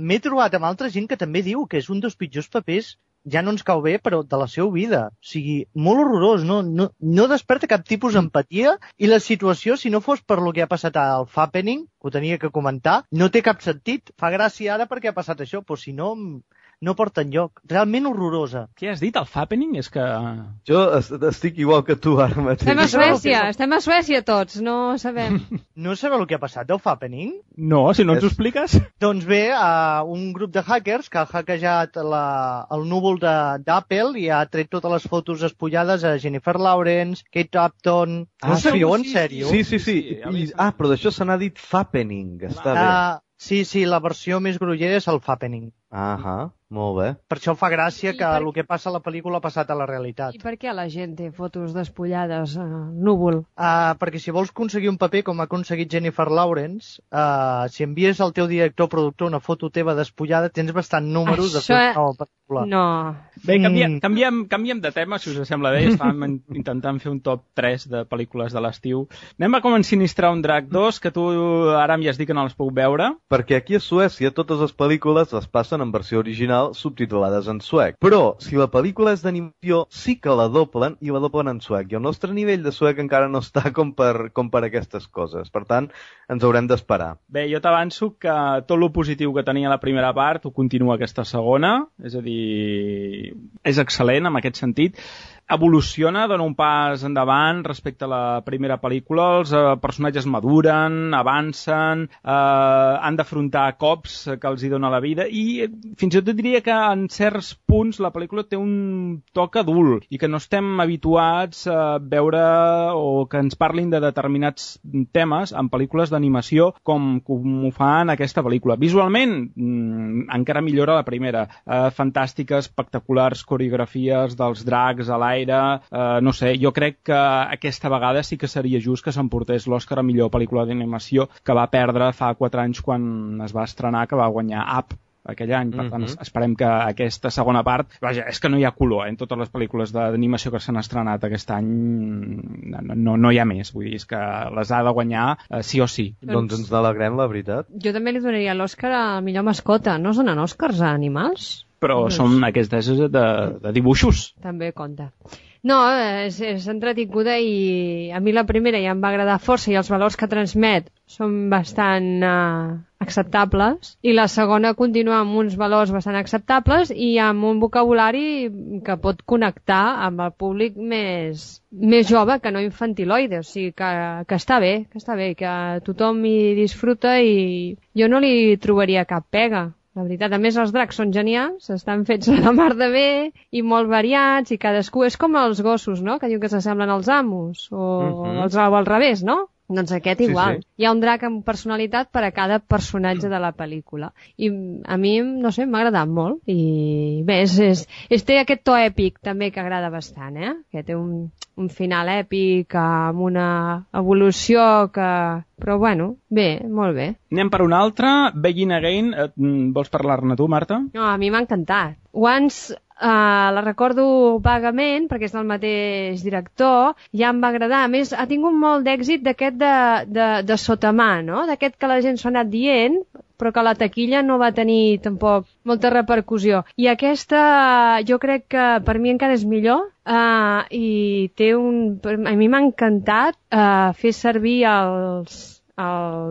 m'he trobat amb altra gent que també diu que és un dels pitjors papers, ja no ens cau bé, però de la seva vida. O sigui, molt horrorós, no desperta cap tipus d'empatia, i la situació, si no fos per lo que ha passat al Fappening, que ho tenia que comentar, no té cap sentit. Fa gràcia ara perquè ha passat això, però si no, no porta enlloc. Realment horrorosa. Què has dit, el Fappening? És que... Jo estic igual que tu ara mateix. Estem a Suècia tots, no sabem. No sabeu el que ha passat del Fappening? No, si no ens ho expliques. Doncs bé, un grup de hackers que ha hackejat el núvol d'Apple i ha tret totes les fotos espullades a Jennifer Lawrence, Kate Upton... No sabeu, en sèrio? Sí. Però d'això se n'ha dit Fappening. Està bé. Sí, la versió més grollera és el Fappening. Molt bé. Per això fa gràcia que el que passa a la pel·lícula ha passat a la realitat. I per què la gent té fotos despullades al núvol? Perquè si vols aconseguir un paper com ha aconseguit Jennifer Lawrence, si envies al teu director o productor una foto teva despullada, tens bastant números de fer una nova pel·lícula. No. Bé, canviem de tema, si us sembla bé. Estàvem intentant fer un top 3 de pel·lícules de l'estiu. Anem a com ensinistrar un Drac 2, que tu ara ja has dit que no les puc veure. Perquè aquí a Suècia totes les pel·lícules les passen en versió original subtitulades en suec. Però, si la pel·lícula és d'animació, sí que la doblen, i la doblen en suec. I el nostre nivell de suec encara no està com per aquestes coses. Per tant, ens haurem d'esperar. Bé, jo t'avanço que tot lo positiu que tenia la primera part ho continua aquesta segona. És a dir, és excel·lent en aquest sentit. Evoluciona, dona un pas endavant respecte a la primera pel·lícula, els personatges maduren, avancen, han d'afrontar cops que els hi dona la vida, i fins i tot diria que en certs punts la pel·lícula té un toc adult i que no estem habituats a veure o que ens parlin de determinats temes en pel·lícules d'animació com ho fa en aquesta pel·lícula. Visualment, encara millora la primera. Fantàstiques, espectaculars coreografies dels dracs a l'aire. No sé, jo crec que aquesta vegada sí que seria just que s'emportés l'Oscar a millor pel·lícula d'animació, que va perdre fa 4 anys quan es va estrenar, que va guanyar Up aquell any. Per tant, esperem que aquesta segona part... Vaja, és que no hi ha color, en totes les pel·lícules d'animació que s'han estrenat aquest any no hi ha més. Vull dir, és que les ha de guanyar sí o sí. Doncs ens n'alegrem, la veritat. Jo també li donaria l'Òscar a millor mascota. No es donen Òscars a animals? Però són aquestes de dibuixos. També compta. No, és entretinguda, i a mi la primera ja em va agradar força i els valors que transmet són bastant acceptables, i la segona continua amb uns valors bastant acceptables i amb un vocabulari que pot connectar amb el públic més jove que no infantiloide, o sigui que està bé, que tothom hi disfruta i jo no li trobaria cap pega. La veritat, a més els dracs són genials, estan fets a la mar de bé i molt variats, i cadascú és com els gossos, no?, que diuen que s'assemblen als amos, o al revés, no? Doncs aquest igual. Sí. Hi ha un drac amb personalitat per a cada personatge de la pel·lícula. I a mi, no sé, m'ha agradat molt. I bé, té aquest to èpic també que agrada bastant, que té un final èpic amb una evolució que... Però bueno, bé, molt bé. Anem per una altra, Begin Again. Vols parlar-ne tu, Marta? No, a mi m'ha encantat. Once la recordo vagament, perquè és del mateix director, ja em va agradar. A més, ha tingut molt d'èxit d'aquest de sotamà, no? D'aquest que la gent s'ha anat dient, però que la taquilla no va tenir tampoc molta repercussió. I aquesta jo crec que per mi encara és millor, i té a mi m'ha encantat fer servir el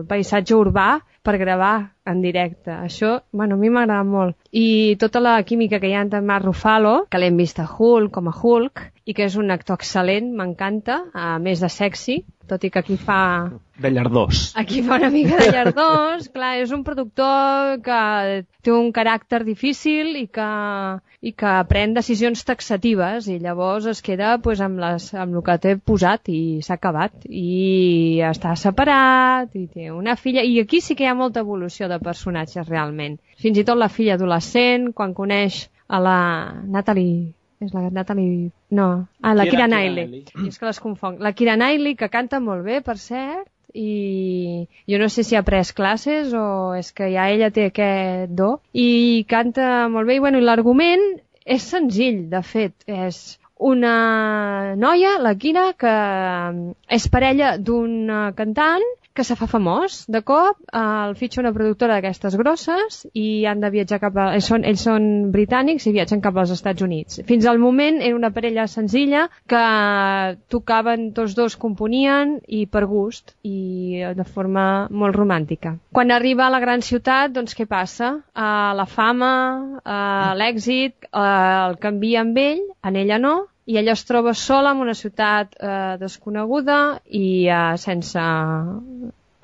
paisatge urbà per gravar en directe. Això, a mi m'agrada molt. I tota la química que hi ha entre Mark Ruffalo, que l'hem vist a Hulk, com a Hulk, i que és un actor excel·lent, m'encanta, a més de sexy, tot i que aquí fa... De llardós. Aquí fa una mica de llardós. Clar, és un productor que té un caràcter difícil i que pren decisions taxatives i llavors es queda amb el que té posat i s'ha acabat. I està separat i té una filla. I aquí sí que hi ha molta evolució de personatges, realment. Fins i tot la filla adolescent, quan coneix a la Natalie... És la Natalie... No. La Keira Knightley. És que les confonc. La Keira Knightley, que canta molt bé, per cert, i jo no sé si ha pres classes o és que ja ella té aquest do, i canta molt bé. I l'argument és senzill, de fet. És una noia, la Keira, que és parella d'un cantant que se fa famós. De cop el fitxa una productora d'aquestes grosses i han de viatjar ells són britànics i viatgen cap als Estats Units. Fins al moment era una parella senzilla que tocaven, tots dos componien i per gust i de forma molt romàntica. Quan arriba a la gran ciutat, doncs què passa? La fama, l'èxit, el canvia amb ell, en ella no, i ella es troba sola en una ciutat desconeguda i sense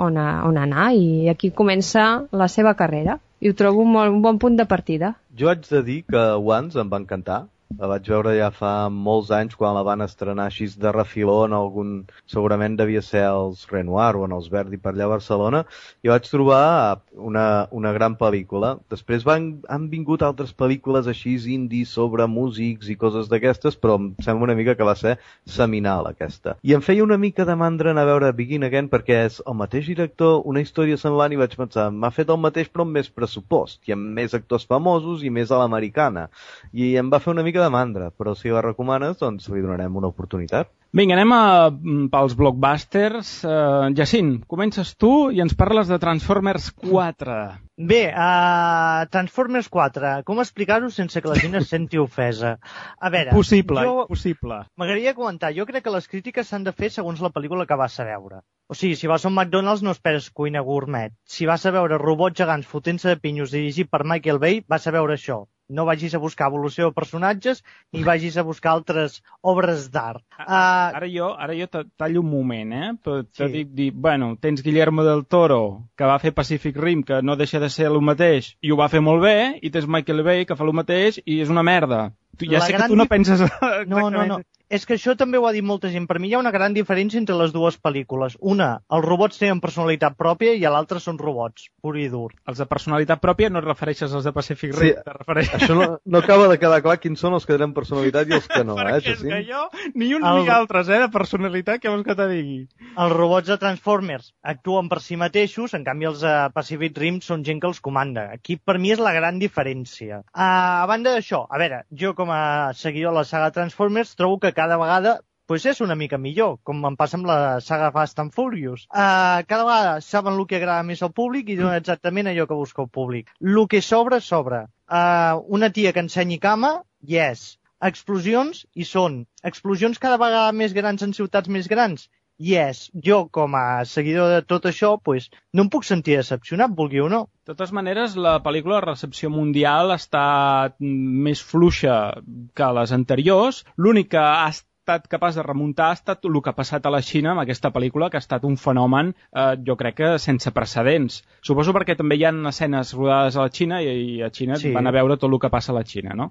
on anar, i aquí comença la seva carrera. I ho trobo un bon punt de partida. Jo haig de dir que Once em va encantar. La vaig veure ja fa molts anys quan la van estrenar així de refiló en algun... Segurament devia ser els Renoir o en els Verdi per allà a Barcelona. I vaig trobar una gran pel·lícula. Després han vingut altres pel·lícules així indie sobre músics i coses d'aquestes, però em sembla una mica que va ser seminal aquesta. I em feia una mica de mandra anar a veure Begin Again perquè és el mateix director, una història semblant, i vaig pensar, m'ha fet el mateix però amb més pressupost i amb més actors famosos i més a l'americana. I em va fer una mica de mandra, però si la recomanes, doncs li donarem una oportunitat. Vinga, anem pels blockbusters. Jacint, comences tu i ens parles de Transformers 4. Bé, Transformers 4, com explicar-ho sense que la gent es senti ofesa? A veure... Possible. M'agradaria comentar, jo crec que les crítiques s'han de fer segons la pel·lícula que vas a veure. O sigui, si vas a un McDonald's no esperes cuina gourmet. Si vas a veure robots gegants fotent-se de pinyos dirigit per Michael Bay, vas a veure això. No vagis a buscar evolució de personatges ni vagis a buscar altres obres d'art. Ara jo tallo un moment, però t'he dit, bueno, tens Guillermo del Toro, que va fer Pacific Rim, que no deixa de ser el mateix, i ho va fer molt bé, i tens Michael Bay, que fa el mateix, i és una merda. Ja sé que tu no penses... No. És que això també ho ha dit molta gent. Per mi hi ha una gran diferència entre les dues pel·lícules. Una, els robots tenen personalitat pròpia i l'altra són robots, pur i dur. Els de personalitat pròpia no et refereixes als de Pacific Rim. Sí, això no acaba de quedar clar quins són els que tenen personalitat i els que no. Perquè és que jo, ni uns ni altres, de personalitat, què vols que te digui? Els robots de Transformers actuen per si mateixos, en canvi els de Pacific Rim són gent que els comanda. Aquí per mi és la gran diferència. A banda d'això, a veure, jo com a seguidor de la saga Transformers trobo que cada vegada és una mica millor, com em passa amb la saga Fast and Furious. Cada vegada saben el que agrada més al públic i donen exactament allò que busca el públic. El que sobra. Una tia que ensenyi cama, yes. Explosions, hi són. Explosions cada vegada més grans en ciutats més grans, yes. Jo, com a seguidor de tot això, no em puc sentir decepcionat, vulgui o no. De totes maneres, la pel·lícula de recepció mundial ha estat més fluixa que les anteriors. L'únic que ha estat capaç de remuntar ha estat el que ha passat a la Xina amb aquesta pel·lícula, que ha estat un fenomen, jo crec que sense precedents. Suposo perquè també hi ha escenes rodades a la Xina i a Xina van a veure tot el que passa a la Xina, no?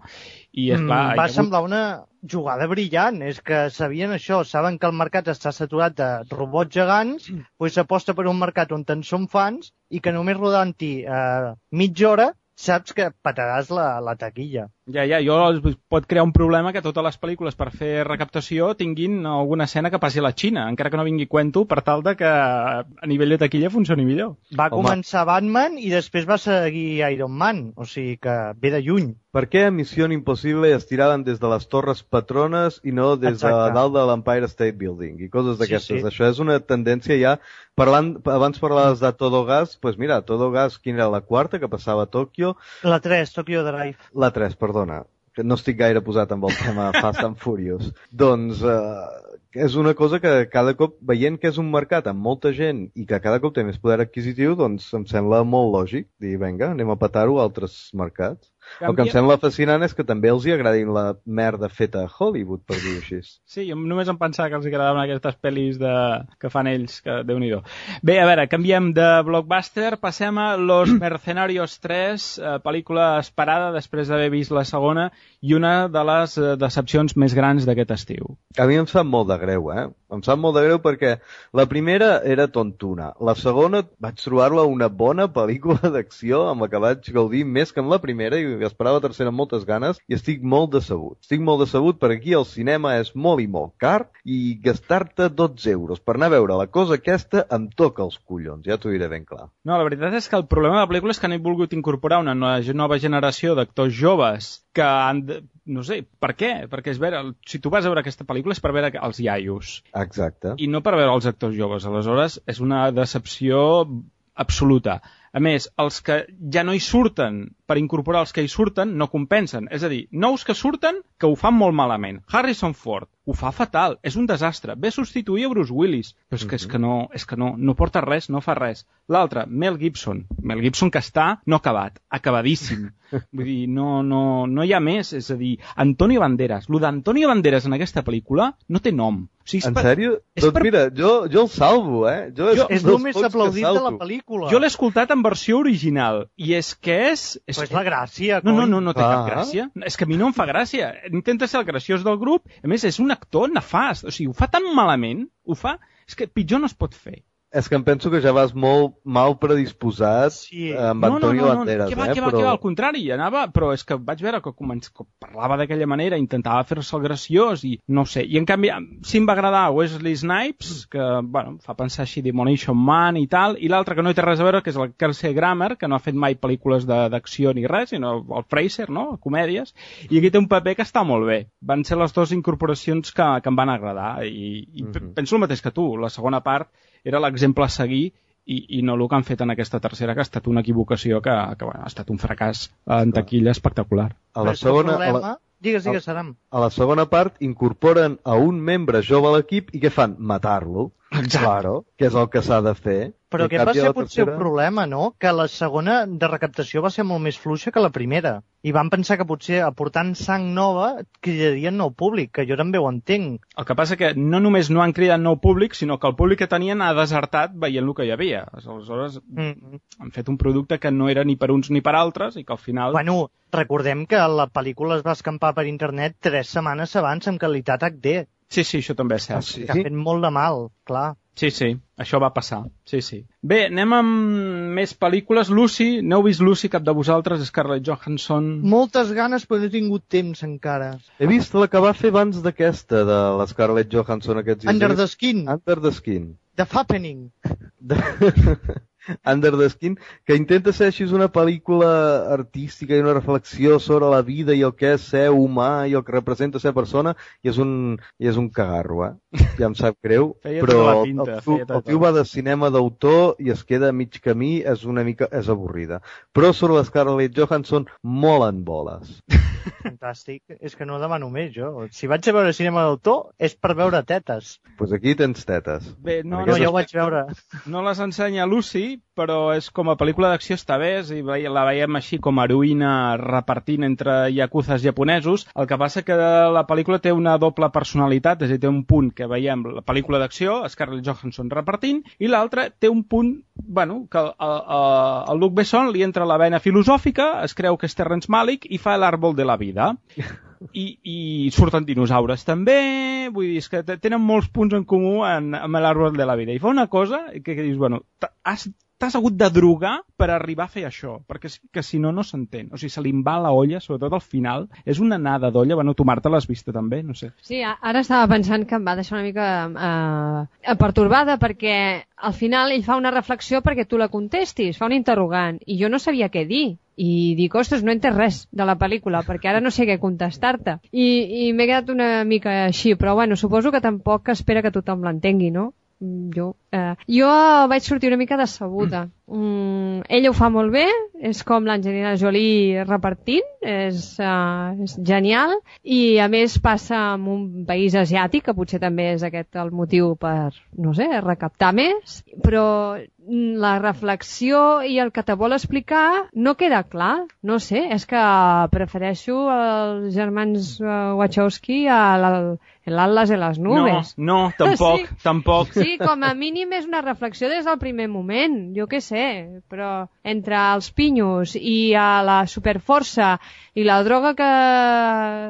I, esclar, va semblar una jugada brillant, és que sabien això, saben que el mercat està saturat de robots gegants, s'aposta per un mercat on en són fans i que només rodant-hi mitja hora saps que pataràs la taquilla. Ja, pot crear un problema que totes les pel·lícules per fer recaptació tinguin alguna escena que passi a la Xina, encara que no vingui cuento, per tal de que a nivell de taquilla funcioni millor. Va començar Batman i després va seguir Iron Man, o sigui que ve de lluny. per què a Missió Impossible es tiraven des de les Torres Patrones i no des de dalt de l'Empire State Building i coses d'aquestes. Això és una tendència ja... Abans parlaves de Todo Gas, doncs mira, Todo Gas, quina era la quarta que passava a Tòquio? La 3, Tokyo Drive. La 3, perdona. Que no estic gaire posat amb el tema Fast and Furious. Doncs és una cosa que cada cop, veient que és un mercat amb molta gent i que cada cop té més poder adquisitiu, doncs em sembla molt lògic dir, vinga, anem a petar-ho a altres mercats. El que em sembla fascinant és que també els hi agradin la merda feta a Hollywood, per dir-ho així. Sí, jo només em pensava que els agradaven aquestes pel·lis que fan ells, que Déu-n'hi-do. Bé, a veure, canviem de blockbuster, passem a Los Mercenarios 3, pel·lícula esperada després d'haver vist la segona i una de les decepcions més grans d'aquest estiu. A mi em sap molt de greu, Em sap molt de greu perquè la primera era tontuna. La segona vaig trobar-la una bona pel·lícula d'acció amb la que vaig gaudir més que en la primera i esperava la tercera amb moltes ganes i estic molt decebut. Estic molt decebut perquè aquí el cinema és molt i molt car i gastar-te 12 euros per anar a veure la cosa aquesta em toca els collons, ja t'ho diré ben clar. No, la veritat és que el problema de la pel·lícula és que han volgut incorporar una nova generació d'actors joves que han de... No sé, per què? Perquè si tu vas a veure aquesta pel·lícula és per veure els iaios. Exacte. I no per veure els actors joves. Aleshores, és una decepció absoluta. A més, els que ja no hi surten, per incorporar els que hi surten, no compensen. És a dir, nous que surten, que ho fan molt malament. Harrison Ford ho fa fatal, és un desastre. Ve a substituir a Bruce Willis, però és que no porta res, no fa res. L'altre, Mel Gibson que està no acabat, acabadíssim. Vull dir, no hi ha més. És a dir, Antonio Banderas. Lo d'Antonio Banderas en aquesta pel·lícula no té nom. O sigui, en sèrio? Doncs mira, jo el salvo, És el més aplaudit de la pel·lícula. Jo l'he escoltat en versió original, i és que és... Però és la gràcia, coi. No té cap gràcia. És que a mi no em fa gràcia. Intenta ser el graciós del grup, a més és un actor nefast. O sigui, ho fa tan malament, és que pitjor no es pot fer. És que em penso que ja vas molt mal predisposat amb Antonio Banderas. Que va, al contrari, anava, però és que vaig veure que parlava d'aquella manera, intentava fer-se el graciós i no sé. I en canvi, sí em va agradar Wesley Snipes, que fa pensar així Demolition Man i tal, i l'altre que no hi té res a veure, que és el Kelsey Grammer, que no ha fet mai pel·lícules d'acció ni res, sinó el Fraser, no?, comèdies, i aquí té un paper que està molt bé. Van ser les dues incorporacions que em van agradar i penso el mateix que tu. La segona part era l'exemple a seguir i no el que han fet en aquesta tercera, que ha estat una equivocació que ha estat un fracàs en taquilla espectacular. A la segona... Digues, Saram. A la segona part incorporen a un membre jove a l'equip i què fan? Matar-lo. Claro, que és el que s'ha de fer. Però aquest va ser potser el problema, no? Que la segona de recaptació va ser molt més fluixa que la primera. I van pensar que potser aportant sang nova cridarien nou públic, que jo també ho entenc. El que passa que no només no han cridat nou públic, sinó que el públic que tenien ha desertat veient el que hi havia. Aleshores han fet un producte que no era ni per uns ni per altres i que al final... Bueno, recordem que la pel·lícula es va escampar per internet 3 setmanes abans amb qualitat HD. Sí, això també és cert. Que ha fet molt de mal, clar. Sí, això va passar. Sí. Bé, anem amb més pel·lícules. Lucy, n'heu vist Lucy, cap de vosaltres? Scarlett Johansson... Moltes ganes, però no he tingut temps encara. He vist la que va fer abans d'aquesta, de la Scarlett Johansson aquests dies. Under the Skin. Under the Skin. The Fappening. Under the Skin, que intenta ser així una pel·lícula artística i una reflexió sobre la vida i el que és ser humà i el que representa ser persona, i és un cagarro, ja em sap greu, però el tio va de cinema d'autor i es queda a mig camí, és avorrida. Però sobre la Scarlett Johansson molen boles. Fantàstic, és que no demano més jo. Si vaig a veure cinema d'autor és per veure tetes. Doncs aquí tens tetes. Bé, no, jo ho vaig veure. No les ensenya Lucy, però és com a pel·lícula d'acció està bé, i la veiem així com a heroïna repartint entre yakuzas japonesos. El que passa que la pel·lícula té una doble personalitat, és a dir, té un punt que veiem la pel·lícula d'acció, Scarlett Johansson repartint, i l'altre té un punt, que al Luc Besson li entra la vena filosòfica, es creu que és Terrence Malick i fa l'àrbol de la vida. I surten dinosaures també, vull dir, és que tenen molts punts en comú amb l'àrbol de la vida. I fa una cosa que dius, t'has hagut de drogar per arribar a fer això, perquè que si no s'entén. O sigui, se li en va la olla, sobretot al final. És una nada d'olla. Tu, Marta, l'has vista també? No sé. Sí, ara estava pensant que em va deixar una mica pertorbada, perquè al final ell fa una reflexió perquè tu la contestis, fa un interrogant, i jo no sabia què dir. i dic, ostres, no he entès res de la pel·lícula, perquè ara no sé què contestar-te. I m'he quedat una mica així, però bueno, suposo que tampoc espera que tothom l'entengui, no? Jo vaig sortir una mica decebuda. Ella ho fa molt bé, és com l'Angelina Jolie repartint, és genial, i a més passa en un país asiàtic, que potser també és aquest el motiu per, no sé, recaptar més, però la reflexió i el que te vol explicar no queda clar, no sé, és que prefereixo els germans Wachowski a l'Atlas de les nubes. No, tampoc, sí. Tampoc. Sí, com a mínim és una reflexió des del primer moment, jo què sé, però entre els pinyos i la superforça i la droga que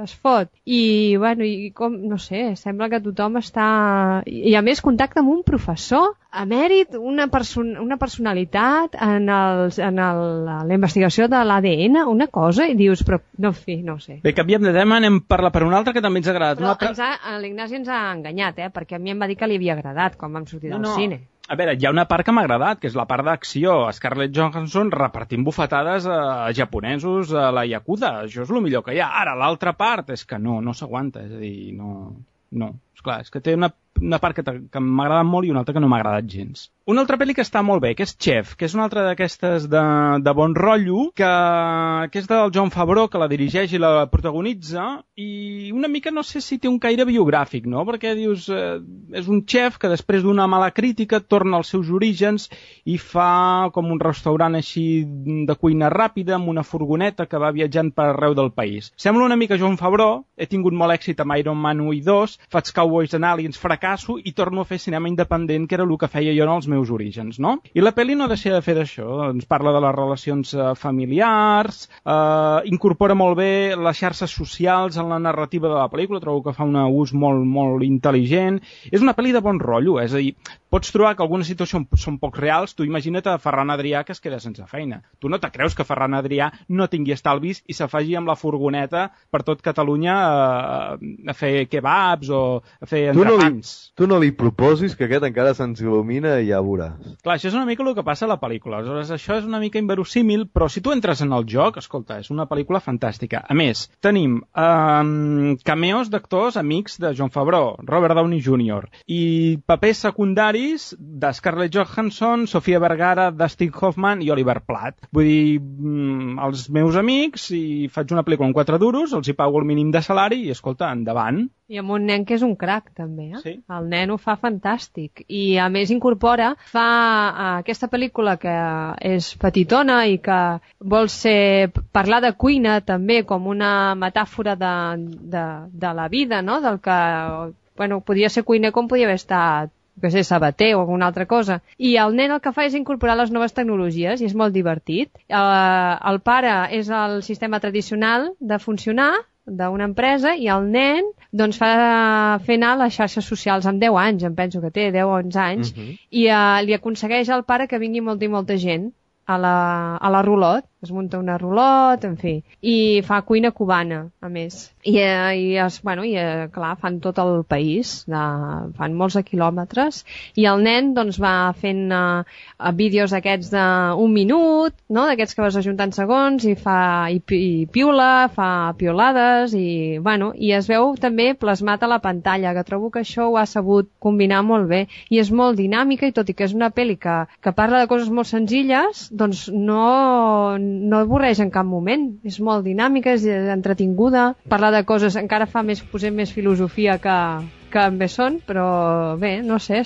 es fot i, bueno, i com, no sé, sembla que tothom està... I a més contacta amb un professor emèrit, una personalitat en la investigació de l'ADN, una cosa, i dius, però no, en fi, no sé. Bé, canviem de tema, anem per un altre que també ens ha agradat. Però l'Ignasi ens ha enganyat, perquè a mi em va dir que li havia agradat quan vam sortir del cine. A veure, hi ha una part que m'ha agradat, que és la part d'acció. Scarlett Johansson repartint bufetades a japonesos a la Yakuza. Això és el millor que hi ha. Ara, l'altra part és que no s'aguanta. És a dir, no. Esclar, és que té una part que m'ha agradat molt i una altra que no m'ha agradat gens. Una altra pel·li que està molt bé, que és Chef, que és una altra d'aquestes de bon rotllo, que és del Jon Favreau, que la dirigeix i la protagonitza, i una mica no sé si té un caire biogràfic, no? Perquè dius, és un xef que després d'una mala crítica torna als seus orígens i fa com un restaurant així de cuina ràpida amb una furgoneta que va viatjant per arreu del país. Sembla una mica Jon Favreau, he tingut molt èxit amb Iron Man 1 i 2, faig Cowboys and Aliens, fracasso i torno a fer cinema independent, que era el que feia jo en els meus orígens, no? I la pel·li no deixa de fer d'això, ens parla de les relacions familiars, incorpora molt bé les xarxes socials en la narrativa de la pel·lícula, trobo que fa un ús molt, molt intel·ligent. És una pel·li de bon rotllo, és a dir, pots trobar que algunes situacions són poc reals, tu imagina't a Ferran Adrià que es queda sense feina. Tu no te creus que Ferran Adrià no tingui estalvis i s'afagi amb la furgoneta per tot Catalunya a fer kebabs o a fer entrepans. Tu no li proposis que aquest encara se'ns il·lumina i ja veuràs. Clar, això és una mica el que passa a la pel·lícula. Aleshores, això és una mica inverosímil, però si tu entres en el joc, escolta, és una pel·lícula fantàstica. A més, tenim cameos d'actors amics de Jon Favreau, Robert Downey Jr. i papers secundaris de Scarlett Johansson, Sofia Vergara, Dustin Hoffman i Oliver Platt. Vull dir, els meus amics, i faig una pel·lícula amb 4 duros, els hi pago el mínim de salari i, escolta, endavant. I amb un nen que és un crac, també, eh? Sí. El nen ho fa fantàstic. I, a més, fa aquesta pel·lícula que és petitona i que vol parlar de cuina també com una metàfora de la vida, no? Del que, bueno, podia ser cuiner com podia haver estat, que sé, sabater o alguna altra cosa. I el nen el que fa és incorporar les noves tecnologies i és molt divertit. El pare és el sistema tradicional de funcionar d'una empresa i el nen doncs fa fer anar les xarxes socials amb 10 anys, em penso que té 10 o 11 anys, i li aconsegueix al pare que vingui molta i molta gent a la rulot, es munta una rulot, en fi, i fa cuina cubana, a més. Clar, fan tot el país, fan molts de quilòmetres, i el nen doncs va fent vídeos aquests d'un minut, no? D'aquests que vas ajuntant segons, i piula, fa piolades, i es veu també plasmat a la pantalla, que trobo que això ho ha sabut combinar molt bé, i és molt dinàmica, i tot i que és una pel·li que parla de coses molt senzilles, doncs no avorreix en cap moment. És molt dinàmica, és entretinguda, parlar de coses, encara fa posem més filosofia que bé són, però bé, no sé,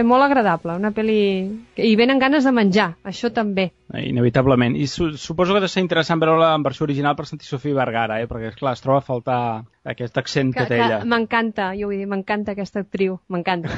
molt agradable, una pel·li... I venen ganes de menjar, això també. Inevitablement. I suposo que ha de ser interessant veure-la en versió original per sentir Sofia Vergara, perquè, esclar, es troba a faltar aquest accent que té ella. M'encanta, jo vull dir, m'encanta aquesta actriu, m'encanta.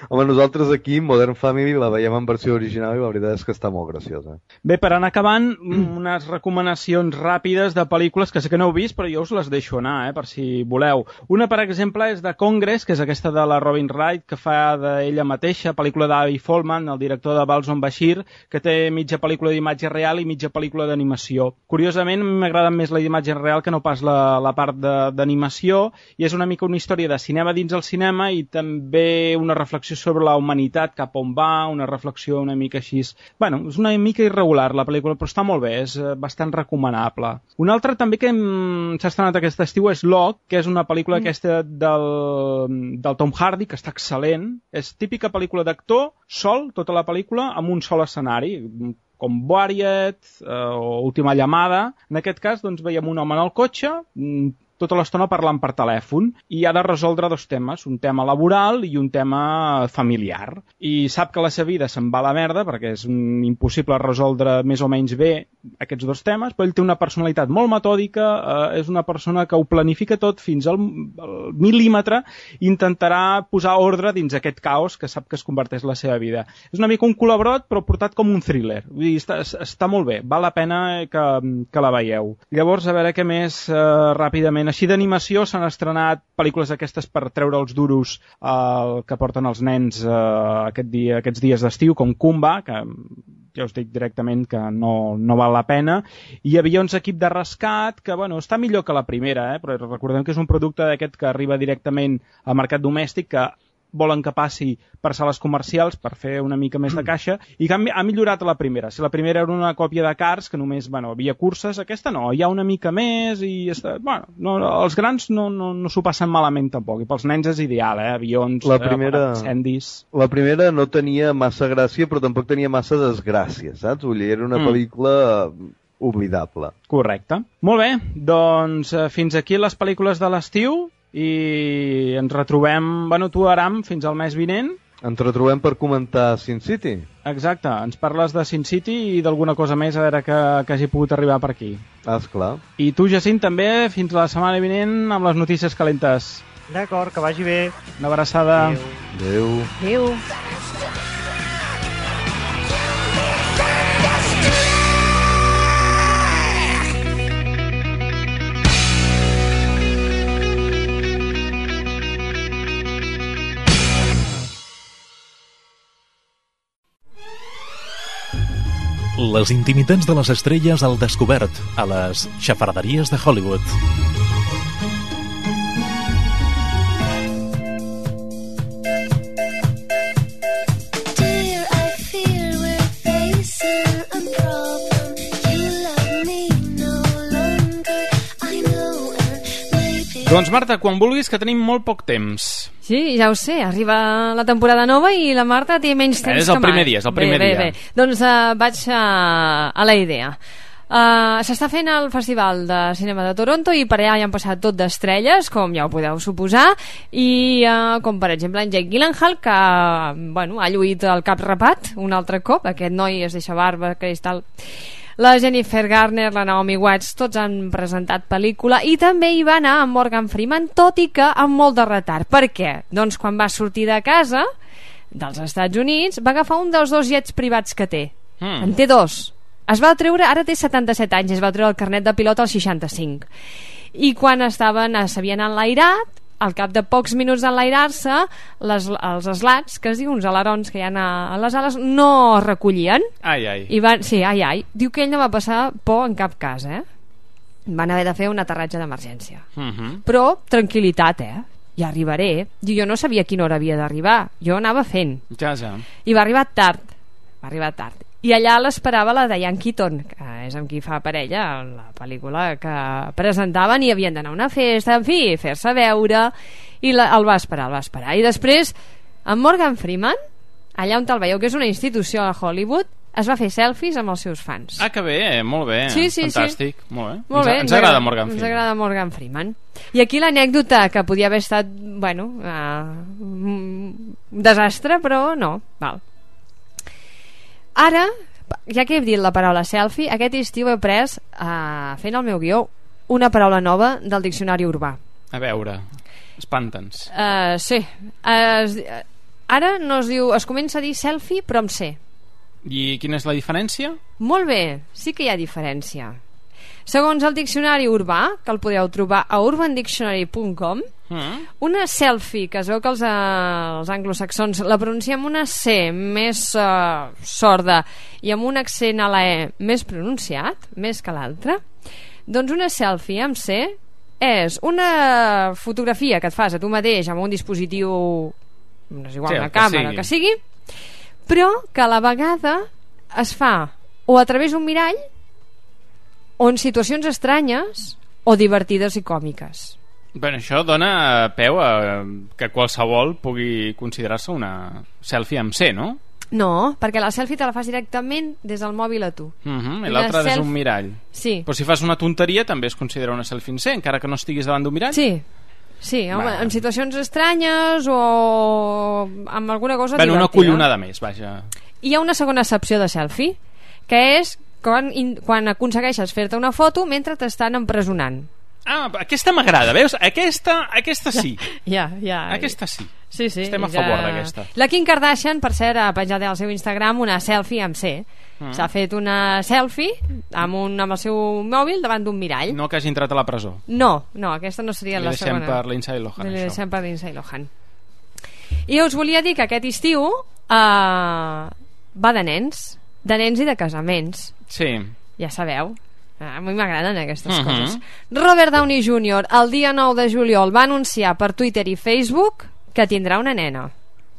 Home, nosaltres aquí, Modern Family, la veiem en versió original i la veritat és que està molt graciosa. Bé, per anar acabant, unes recomanacions ràpides de pel·lícules que sé que no heu vist, però jo us les deixo anar, per si voleu. Una, per exemple, és de Congress, que és aquesta de la Robin Wright, que fa d'ella mateixa, pel·lícula d'Avi Folman, el director de Balls on Bashir, que té mitja pel·lícula d'imatge real i mitja pel·lícula d'animació. Curiosament, m'agrada més la d'imatge real que no pas la part d'animació, i és una mica una història de cinema dins el cinema i també una reflexió sobre la humanitat, cap on va, una reflexió una mica així. Bueno, és una mica irregular la pel·lícula, però està molt bé, és bastant recomanable. Una altra també que s'ha estrenat aquest estiu és Locke, que és una pel·lícula aquesta del Tom Hardy, que està excel·lent. És típica pel·lícula d'actor, sol, tota la pel·lícula, amb un sol escenari, com Warrior o Última llamada. En aquest cas, doncs, veiem un home en el cotxe, tota l'estona parlant per telèfon, i ha de resoldre dos temes, un tema laboral i un tema familiar. I sap que la seva vida se'n va a la merda, perquè és impossible resoldre més o menys bé aquests dos temes, però ell té una personalitat molt metòdica, és una persona que ho planifica tot fins al mil·límetre i intentarà posar ordre dins aquest caos que sap que es converteix la seva vida. És una mica un colabrot, però portat com un thriller. Vull dir, està molt bé, val la pena que la veieu. Llavors, a veure què més ràpidament. Així d'animació s'han estrenat pel·lícules aquestes per treure els duros que porten els nens aquests dies d'estiu, com Kumba, que ja us dic directament que no val la pena, i Avions equip de rescat, que bueno, està millor que la primera, però recordem que és un producte d'aquest que arriba directament al mercat domèstic, que volen que passi per sales comercials per fer una mica més de caixa, i que ha millorat la primera. Si la primera era una còpia de Cars, que només havia curses, aquesta no, hi ha una mica més, i els grans no s'ho passen malament tampoc, i pels nens és ideal, avions, incendis. La primera no tenia massa gràcia, però tampoc tenia massa desgràcia, saps? Vull dir, era una pel·lícula oblidable. Correcte. Molt bé, doncs fins aquí les pel·lícules de l'estiu, i ens retrobem, tu, Aram, fins al mes vinent. Ens retrobem per comentar Sin City. Exacte, ens parles de Sin City i d'alguna cosa més, a veure que hagi pogut arribar per aquí. Esclar. I tu, Jacint, també, fins la setmana vinent amb les notícies calentes. D'acord, que vagi bé. Una abraçada. Adéu. Adéu. Les intimitats de les estrelles al descobert a les xafarderies de Hollywood. Doncs Marta, quan vulguis, que tenim molt poc temps. Sí, ja ho sé, arriba la temporada nova i la Marta té menys temps que mai. És el primer dia, és el primer dia. Bé. Doncs vaig a la idea. S'està fent el Festival de Cinema de Toronto i per allà hi han passat tot d'estrelles, com ja ho podeu suposar, i com per exemple en Jake Gyllenhaal, que ha lluït el cap rapat un altre cop. Aquest noi es deixa barba, cristal. La Jennifer Garner, la Naomi Watts, tots han presentat pel·lícula, i també hi va anar amb Morgan Freeman, tot i que amb molt de retard. Per què? Doncs quan va sortir de casa dels Estats Units va agafar un dels dos jets privats que té. En té dos. Es va treure, ara té 77 anys, es va treure el carnet de pilot als 65. I quan s'havien enlairat, al cap de pocs minuts d'enlairar-se, els slats, que es diu, uns alerons que hi ha a les ales, no es recollien. Ai. Ai. Diu que ell no va passar por en cap cas, Van haver de fer un aterratge d'emergència. Però tranquil·litat, ja arribaré. Jo no sabia a quina hora havia d'arribar, jo anava fent. Ja. I va arribar tard. I allà l'esperava la Diane Keaton, que és amb qui fa parella en la pel·lícula que presentaven, i havien d'anar a una festa, en fi, fer-se veure, i el va esperar. I després, en Morgan Freeman, allà on te'l veieu, que és una institució a Hollywood, es va fer selfies amb els seus fans. Que bé, molt bé. Sí. Fantàstic, molt bé. Ens agrada Morgan Freeman. Ens agrada Morgan Freeman. I aquí l'anècdota, que podia haver estat, un desastre, però no, val. Ara, ja que he dit la paraula selfie, aquest estiu he pres, fent el meu guió, una paraula nova del diccionari urbà. A veure, espanta'ns. Sí. Ara no es diu, es comença a dir selfie, però amb C. I quina és la diferència? Molt bé, sí que hi ha diferència. Segons el diccionari urbà, que el podeu trobar a urbandictionary.com, Una selfie, que es veu que els anglosaxons la pronuncien amb una C més sorda i amb un accent a la E més pronunciat, més que l'altra, doncs una selfie amb C és una fotografia que et fas a tu mateix amb un dispositiu, no és igual, una càmera, que sigui, però que a la vegada es fa o a través d'un mirall o en situacions estranyes o divertides i còmiques. Bueno, això dona peu a que qualsevol pugui considerar-se una selfie amb C, no? No, perquè la selfie te la fas directament des del mòbil a tu. I l'altra és un mirall. Sí. Però si fas una tonteria també es considera una selfie en C, encara que no estiguis davant d'un mirall? Sí, en situacions estranyes o amb alguna cosa divertida. Una collonada més, vaja. Hi ha una segona excepció de selfie, que és quan aconsegueixes fer-te una foto mentre t'estan empresonant. Aquesta m'agrada, veus? Aquesta sí. Ja. Aquesta sí. Sí. Estem a favor d'aquesta. La Kim Kardashian, per cert, ha penjat al seu Instagram una selfie amb C. S'ha fet una selfie amb el seu mòbil davant d'un mirall. No que hagi entrat a la presó. No, aquesta no seria la segona. Li deixem per Lindsay Lohan, això. Li deixem per Lindsay Lohan. I us volia dir que aquest estiu va de nens i de casaments. Sí. Ja sabeu. A mi m'agraden aquestes coses. Robert Downey Jr. el dia 9 de juliol va anunciar per Twitter i Facebook que tindrà una nena.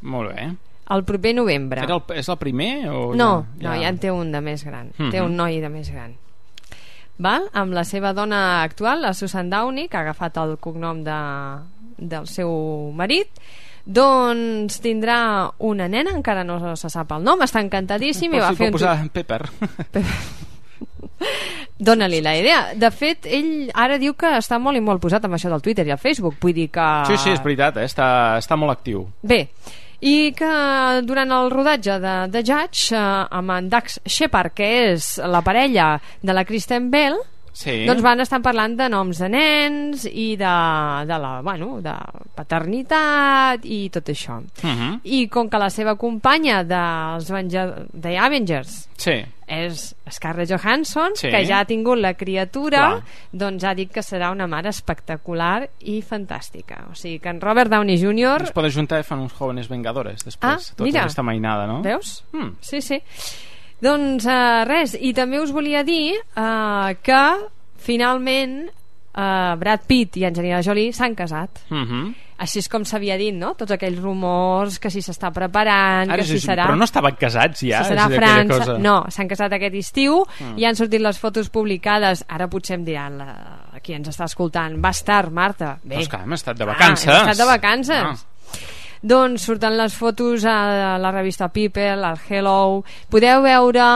Molt bé. El proper novembre. És el primer? O no, ja en té un de més gran. Té un noi de més gran. Amb la seva dona actual, la Susan Downey, que ha agafat el cognom del seu marit. Doncs tindrà una nena, encara no se sap el nom, està encantadíssim. Però si pot posar Pepper. Dóna-li la idea. De fet, ell ara diu que està molt i molt posat amb això del Twitter i el Facebook. Vull dir que... Sí, és veritat, està molt actiu. Bé, i que durant el rodatge de Judge, amb en Dax Shepard, que és la parella de la Kristen Bell, doncs van estar parlant de noms de nens i de paternitat i tot això. I com que la seva companya de Avengers és Scarlett Johansson, que ja ha tingut la criatura, doncs ha dit que serà una mare espectacular i fantàstica. O sigui que en Robert Downey Jr. es pot ajuntar i fan uns Jóvenes Vengadores després, tota aquesta mainada, no? Veus? Sí. Doncs res, i també us volia dir que finalment Brad Pitt i Angelina Jolie s'han casat. Així és com s'havia dit, no? Tots aquells rumors que si s'està preparant, que si serà... Però no estaven casats ja? Si serà a França... No, s'han casat aquest estiu i han sortit les fotos publicades. Ara potser em diran qui ens està escoltant, va estar, Marta. Bé. Però és que hem estat de vacances. Hem estat de vacances. Doncs surten les fotos a la revista People, al Hello. Podeu veure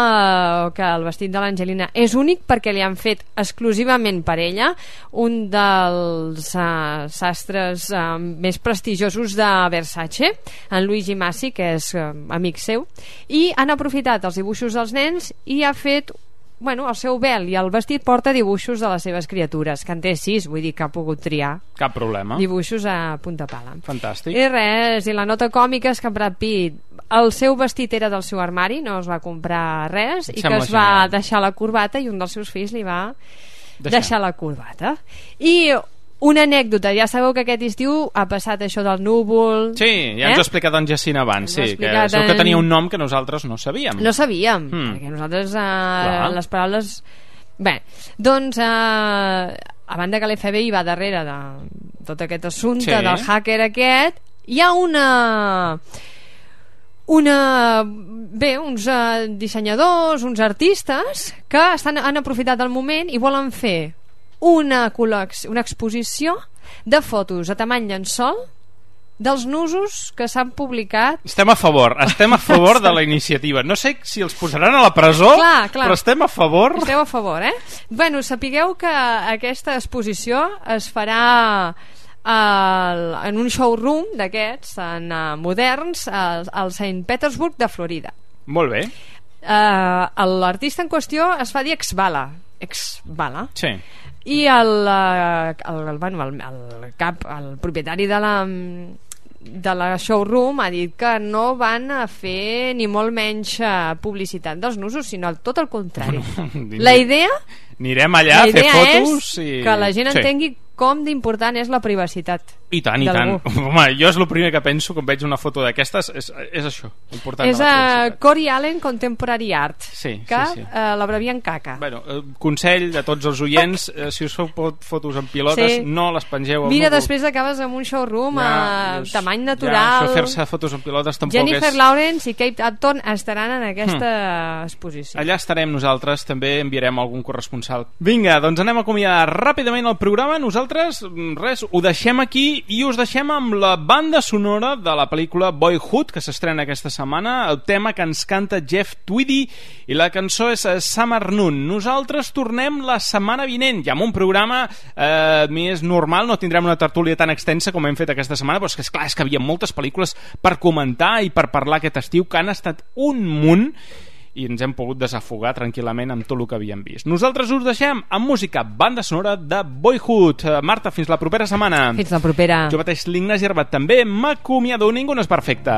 que el vestit de l'Angelina és únic perquè li han fet exclusivament per ella un dels sastres més prestigiosos de Versace, en Luigi Massi, que és amic seu, i han aprofitat els dibuixos dels nens i ha fet el seu vel i el vestit porta dibuixos de les seves criatures, que en té 6, vull dir que ha pogut triar. Cap problema. Dibuixos a punta pala. Fantàstic. I res, i la nota còmica és que Brad Pitt, el seu vestit era del seu armari, no es va comprar res, i que es va deixar la corbata i un dels seus fills li va deixar la corbata. I una anècdota, ja sabeu que aquest estiu ha passat això del núvol... Sí, ja ens ho ha explicat en Jacint abans, que tenia un nom que nosaltres no sabíem. No sabíem, perquè nosaltres les paraules... Bé, doncs a banda que l'FBI va darrere de tot aquest assumpte del hacker aquest, hi ha uns dissenyadors, uns artistes que han aprofitat el moment i volen fer una exposició de fotos a tamany llençol dels nusos que s'han publicat. Estem a favor de la iniciativa. No sé si els posaran a la presó, clar. Però estem a favor. Esteu a favor, Bueno, sapigueu que aquesta exposició es farà en un showroom d'aquests moderns al St. Petersburg de Florida. Molt bé. L'artista en qüestió es fa dir Exbala. Sí. I el propietari de la showroom ha dit que no van a fer ni molt menys publicitat dels nusos, sinó tot el contrari. La idea anirem allà a fer fotos és que la gent entengui com d'important és la privacitat. I tant, i tant. Home, jo és el primer que penso quan veig una foto d'aquestes, és això, important. És a Cory Allen Contemporary Art, que l'abrevien CACA. Bueno, consell de tots els oients, si us feu fotos en pilotes, no les pengeu. Mira, després acabes amb un showroom a tamany natural. Això fer-se fotos en pilotes tampoc és... Jennifer Lawrence i Kate Upton estaran en aquesta exposició. Allà estarem nosaltres, també enviarem algun corresponsal. Vinga, doncs anem a acomiadar ràpidament el programa. Nosaltres, res, ho deixem aquí i us deixem amb la banda sonora de la pel·lícula Boyhood, que s'estrena aquesta setmana, el tema que ens canta Jeff Tweedy, i la cançó és Summer Noon. Nosaltres tornem la setmana vinent, ja amb un programa més normal, no tindrem una tertúlia tan extensa com hem fet aquesta setmana, però és que, esclar, és que hi havia moltes pel·lícules per comentar i per parlar aquest estiu, que han estat un munt, i ens hem pogut desafogar tranquil·lament amb tot el que havíem vist. Nosaltres us deixem amb música, banda sonora de Boyhood. Marta, fins la propera setmana. Fins la propera. Jo mateix, l'Ignasi Herbat, també m'acomiado. Ningú no és perfecte.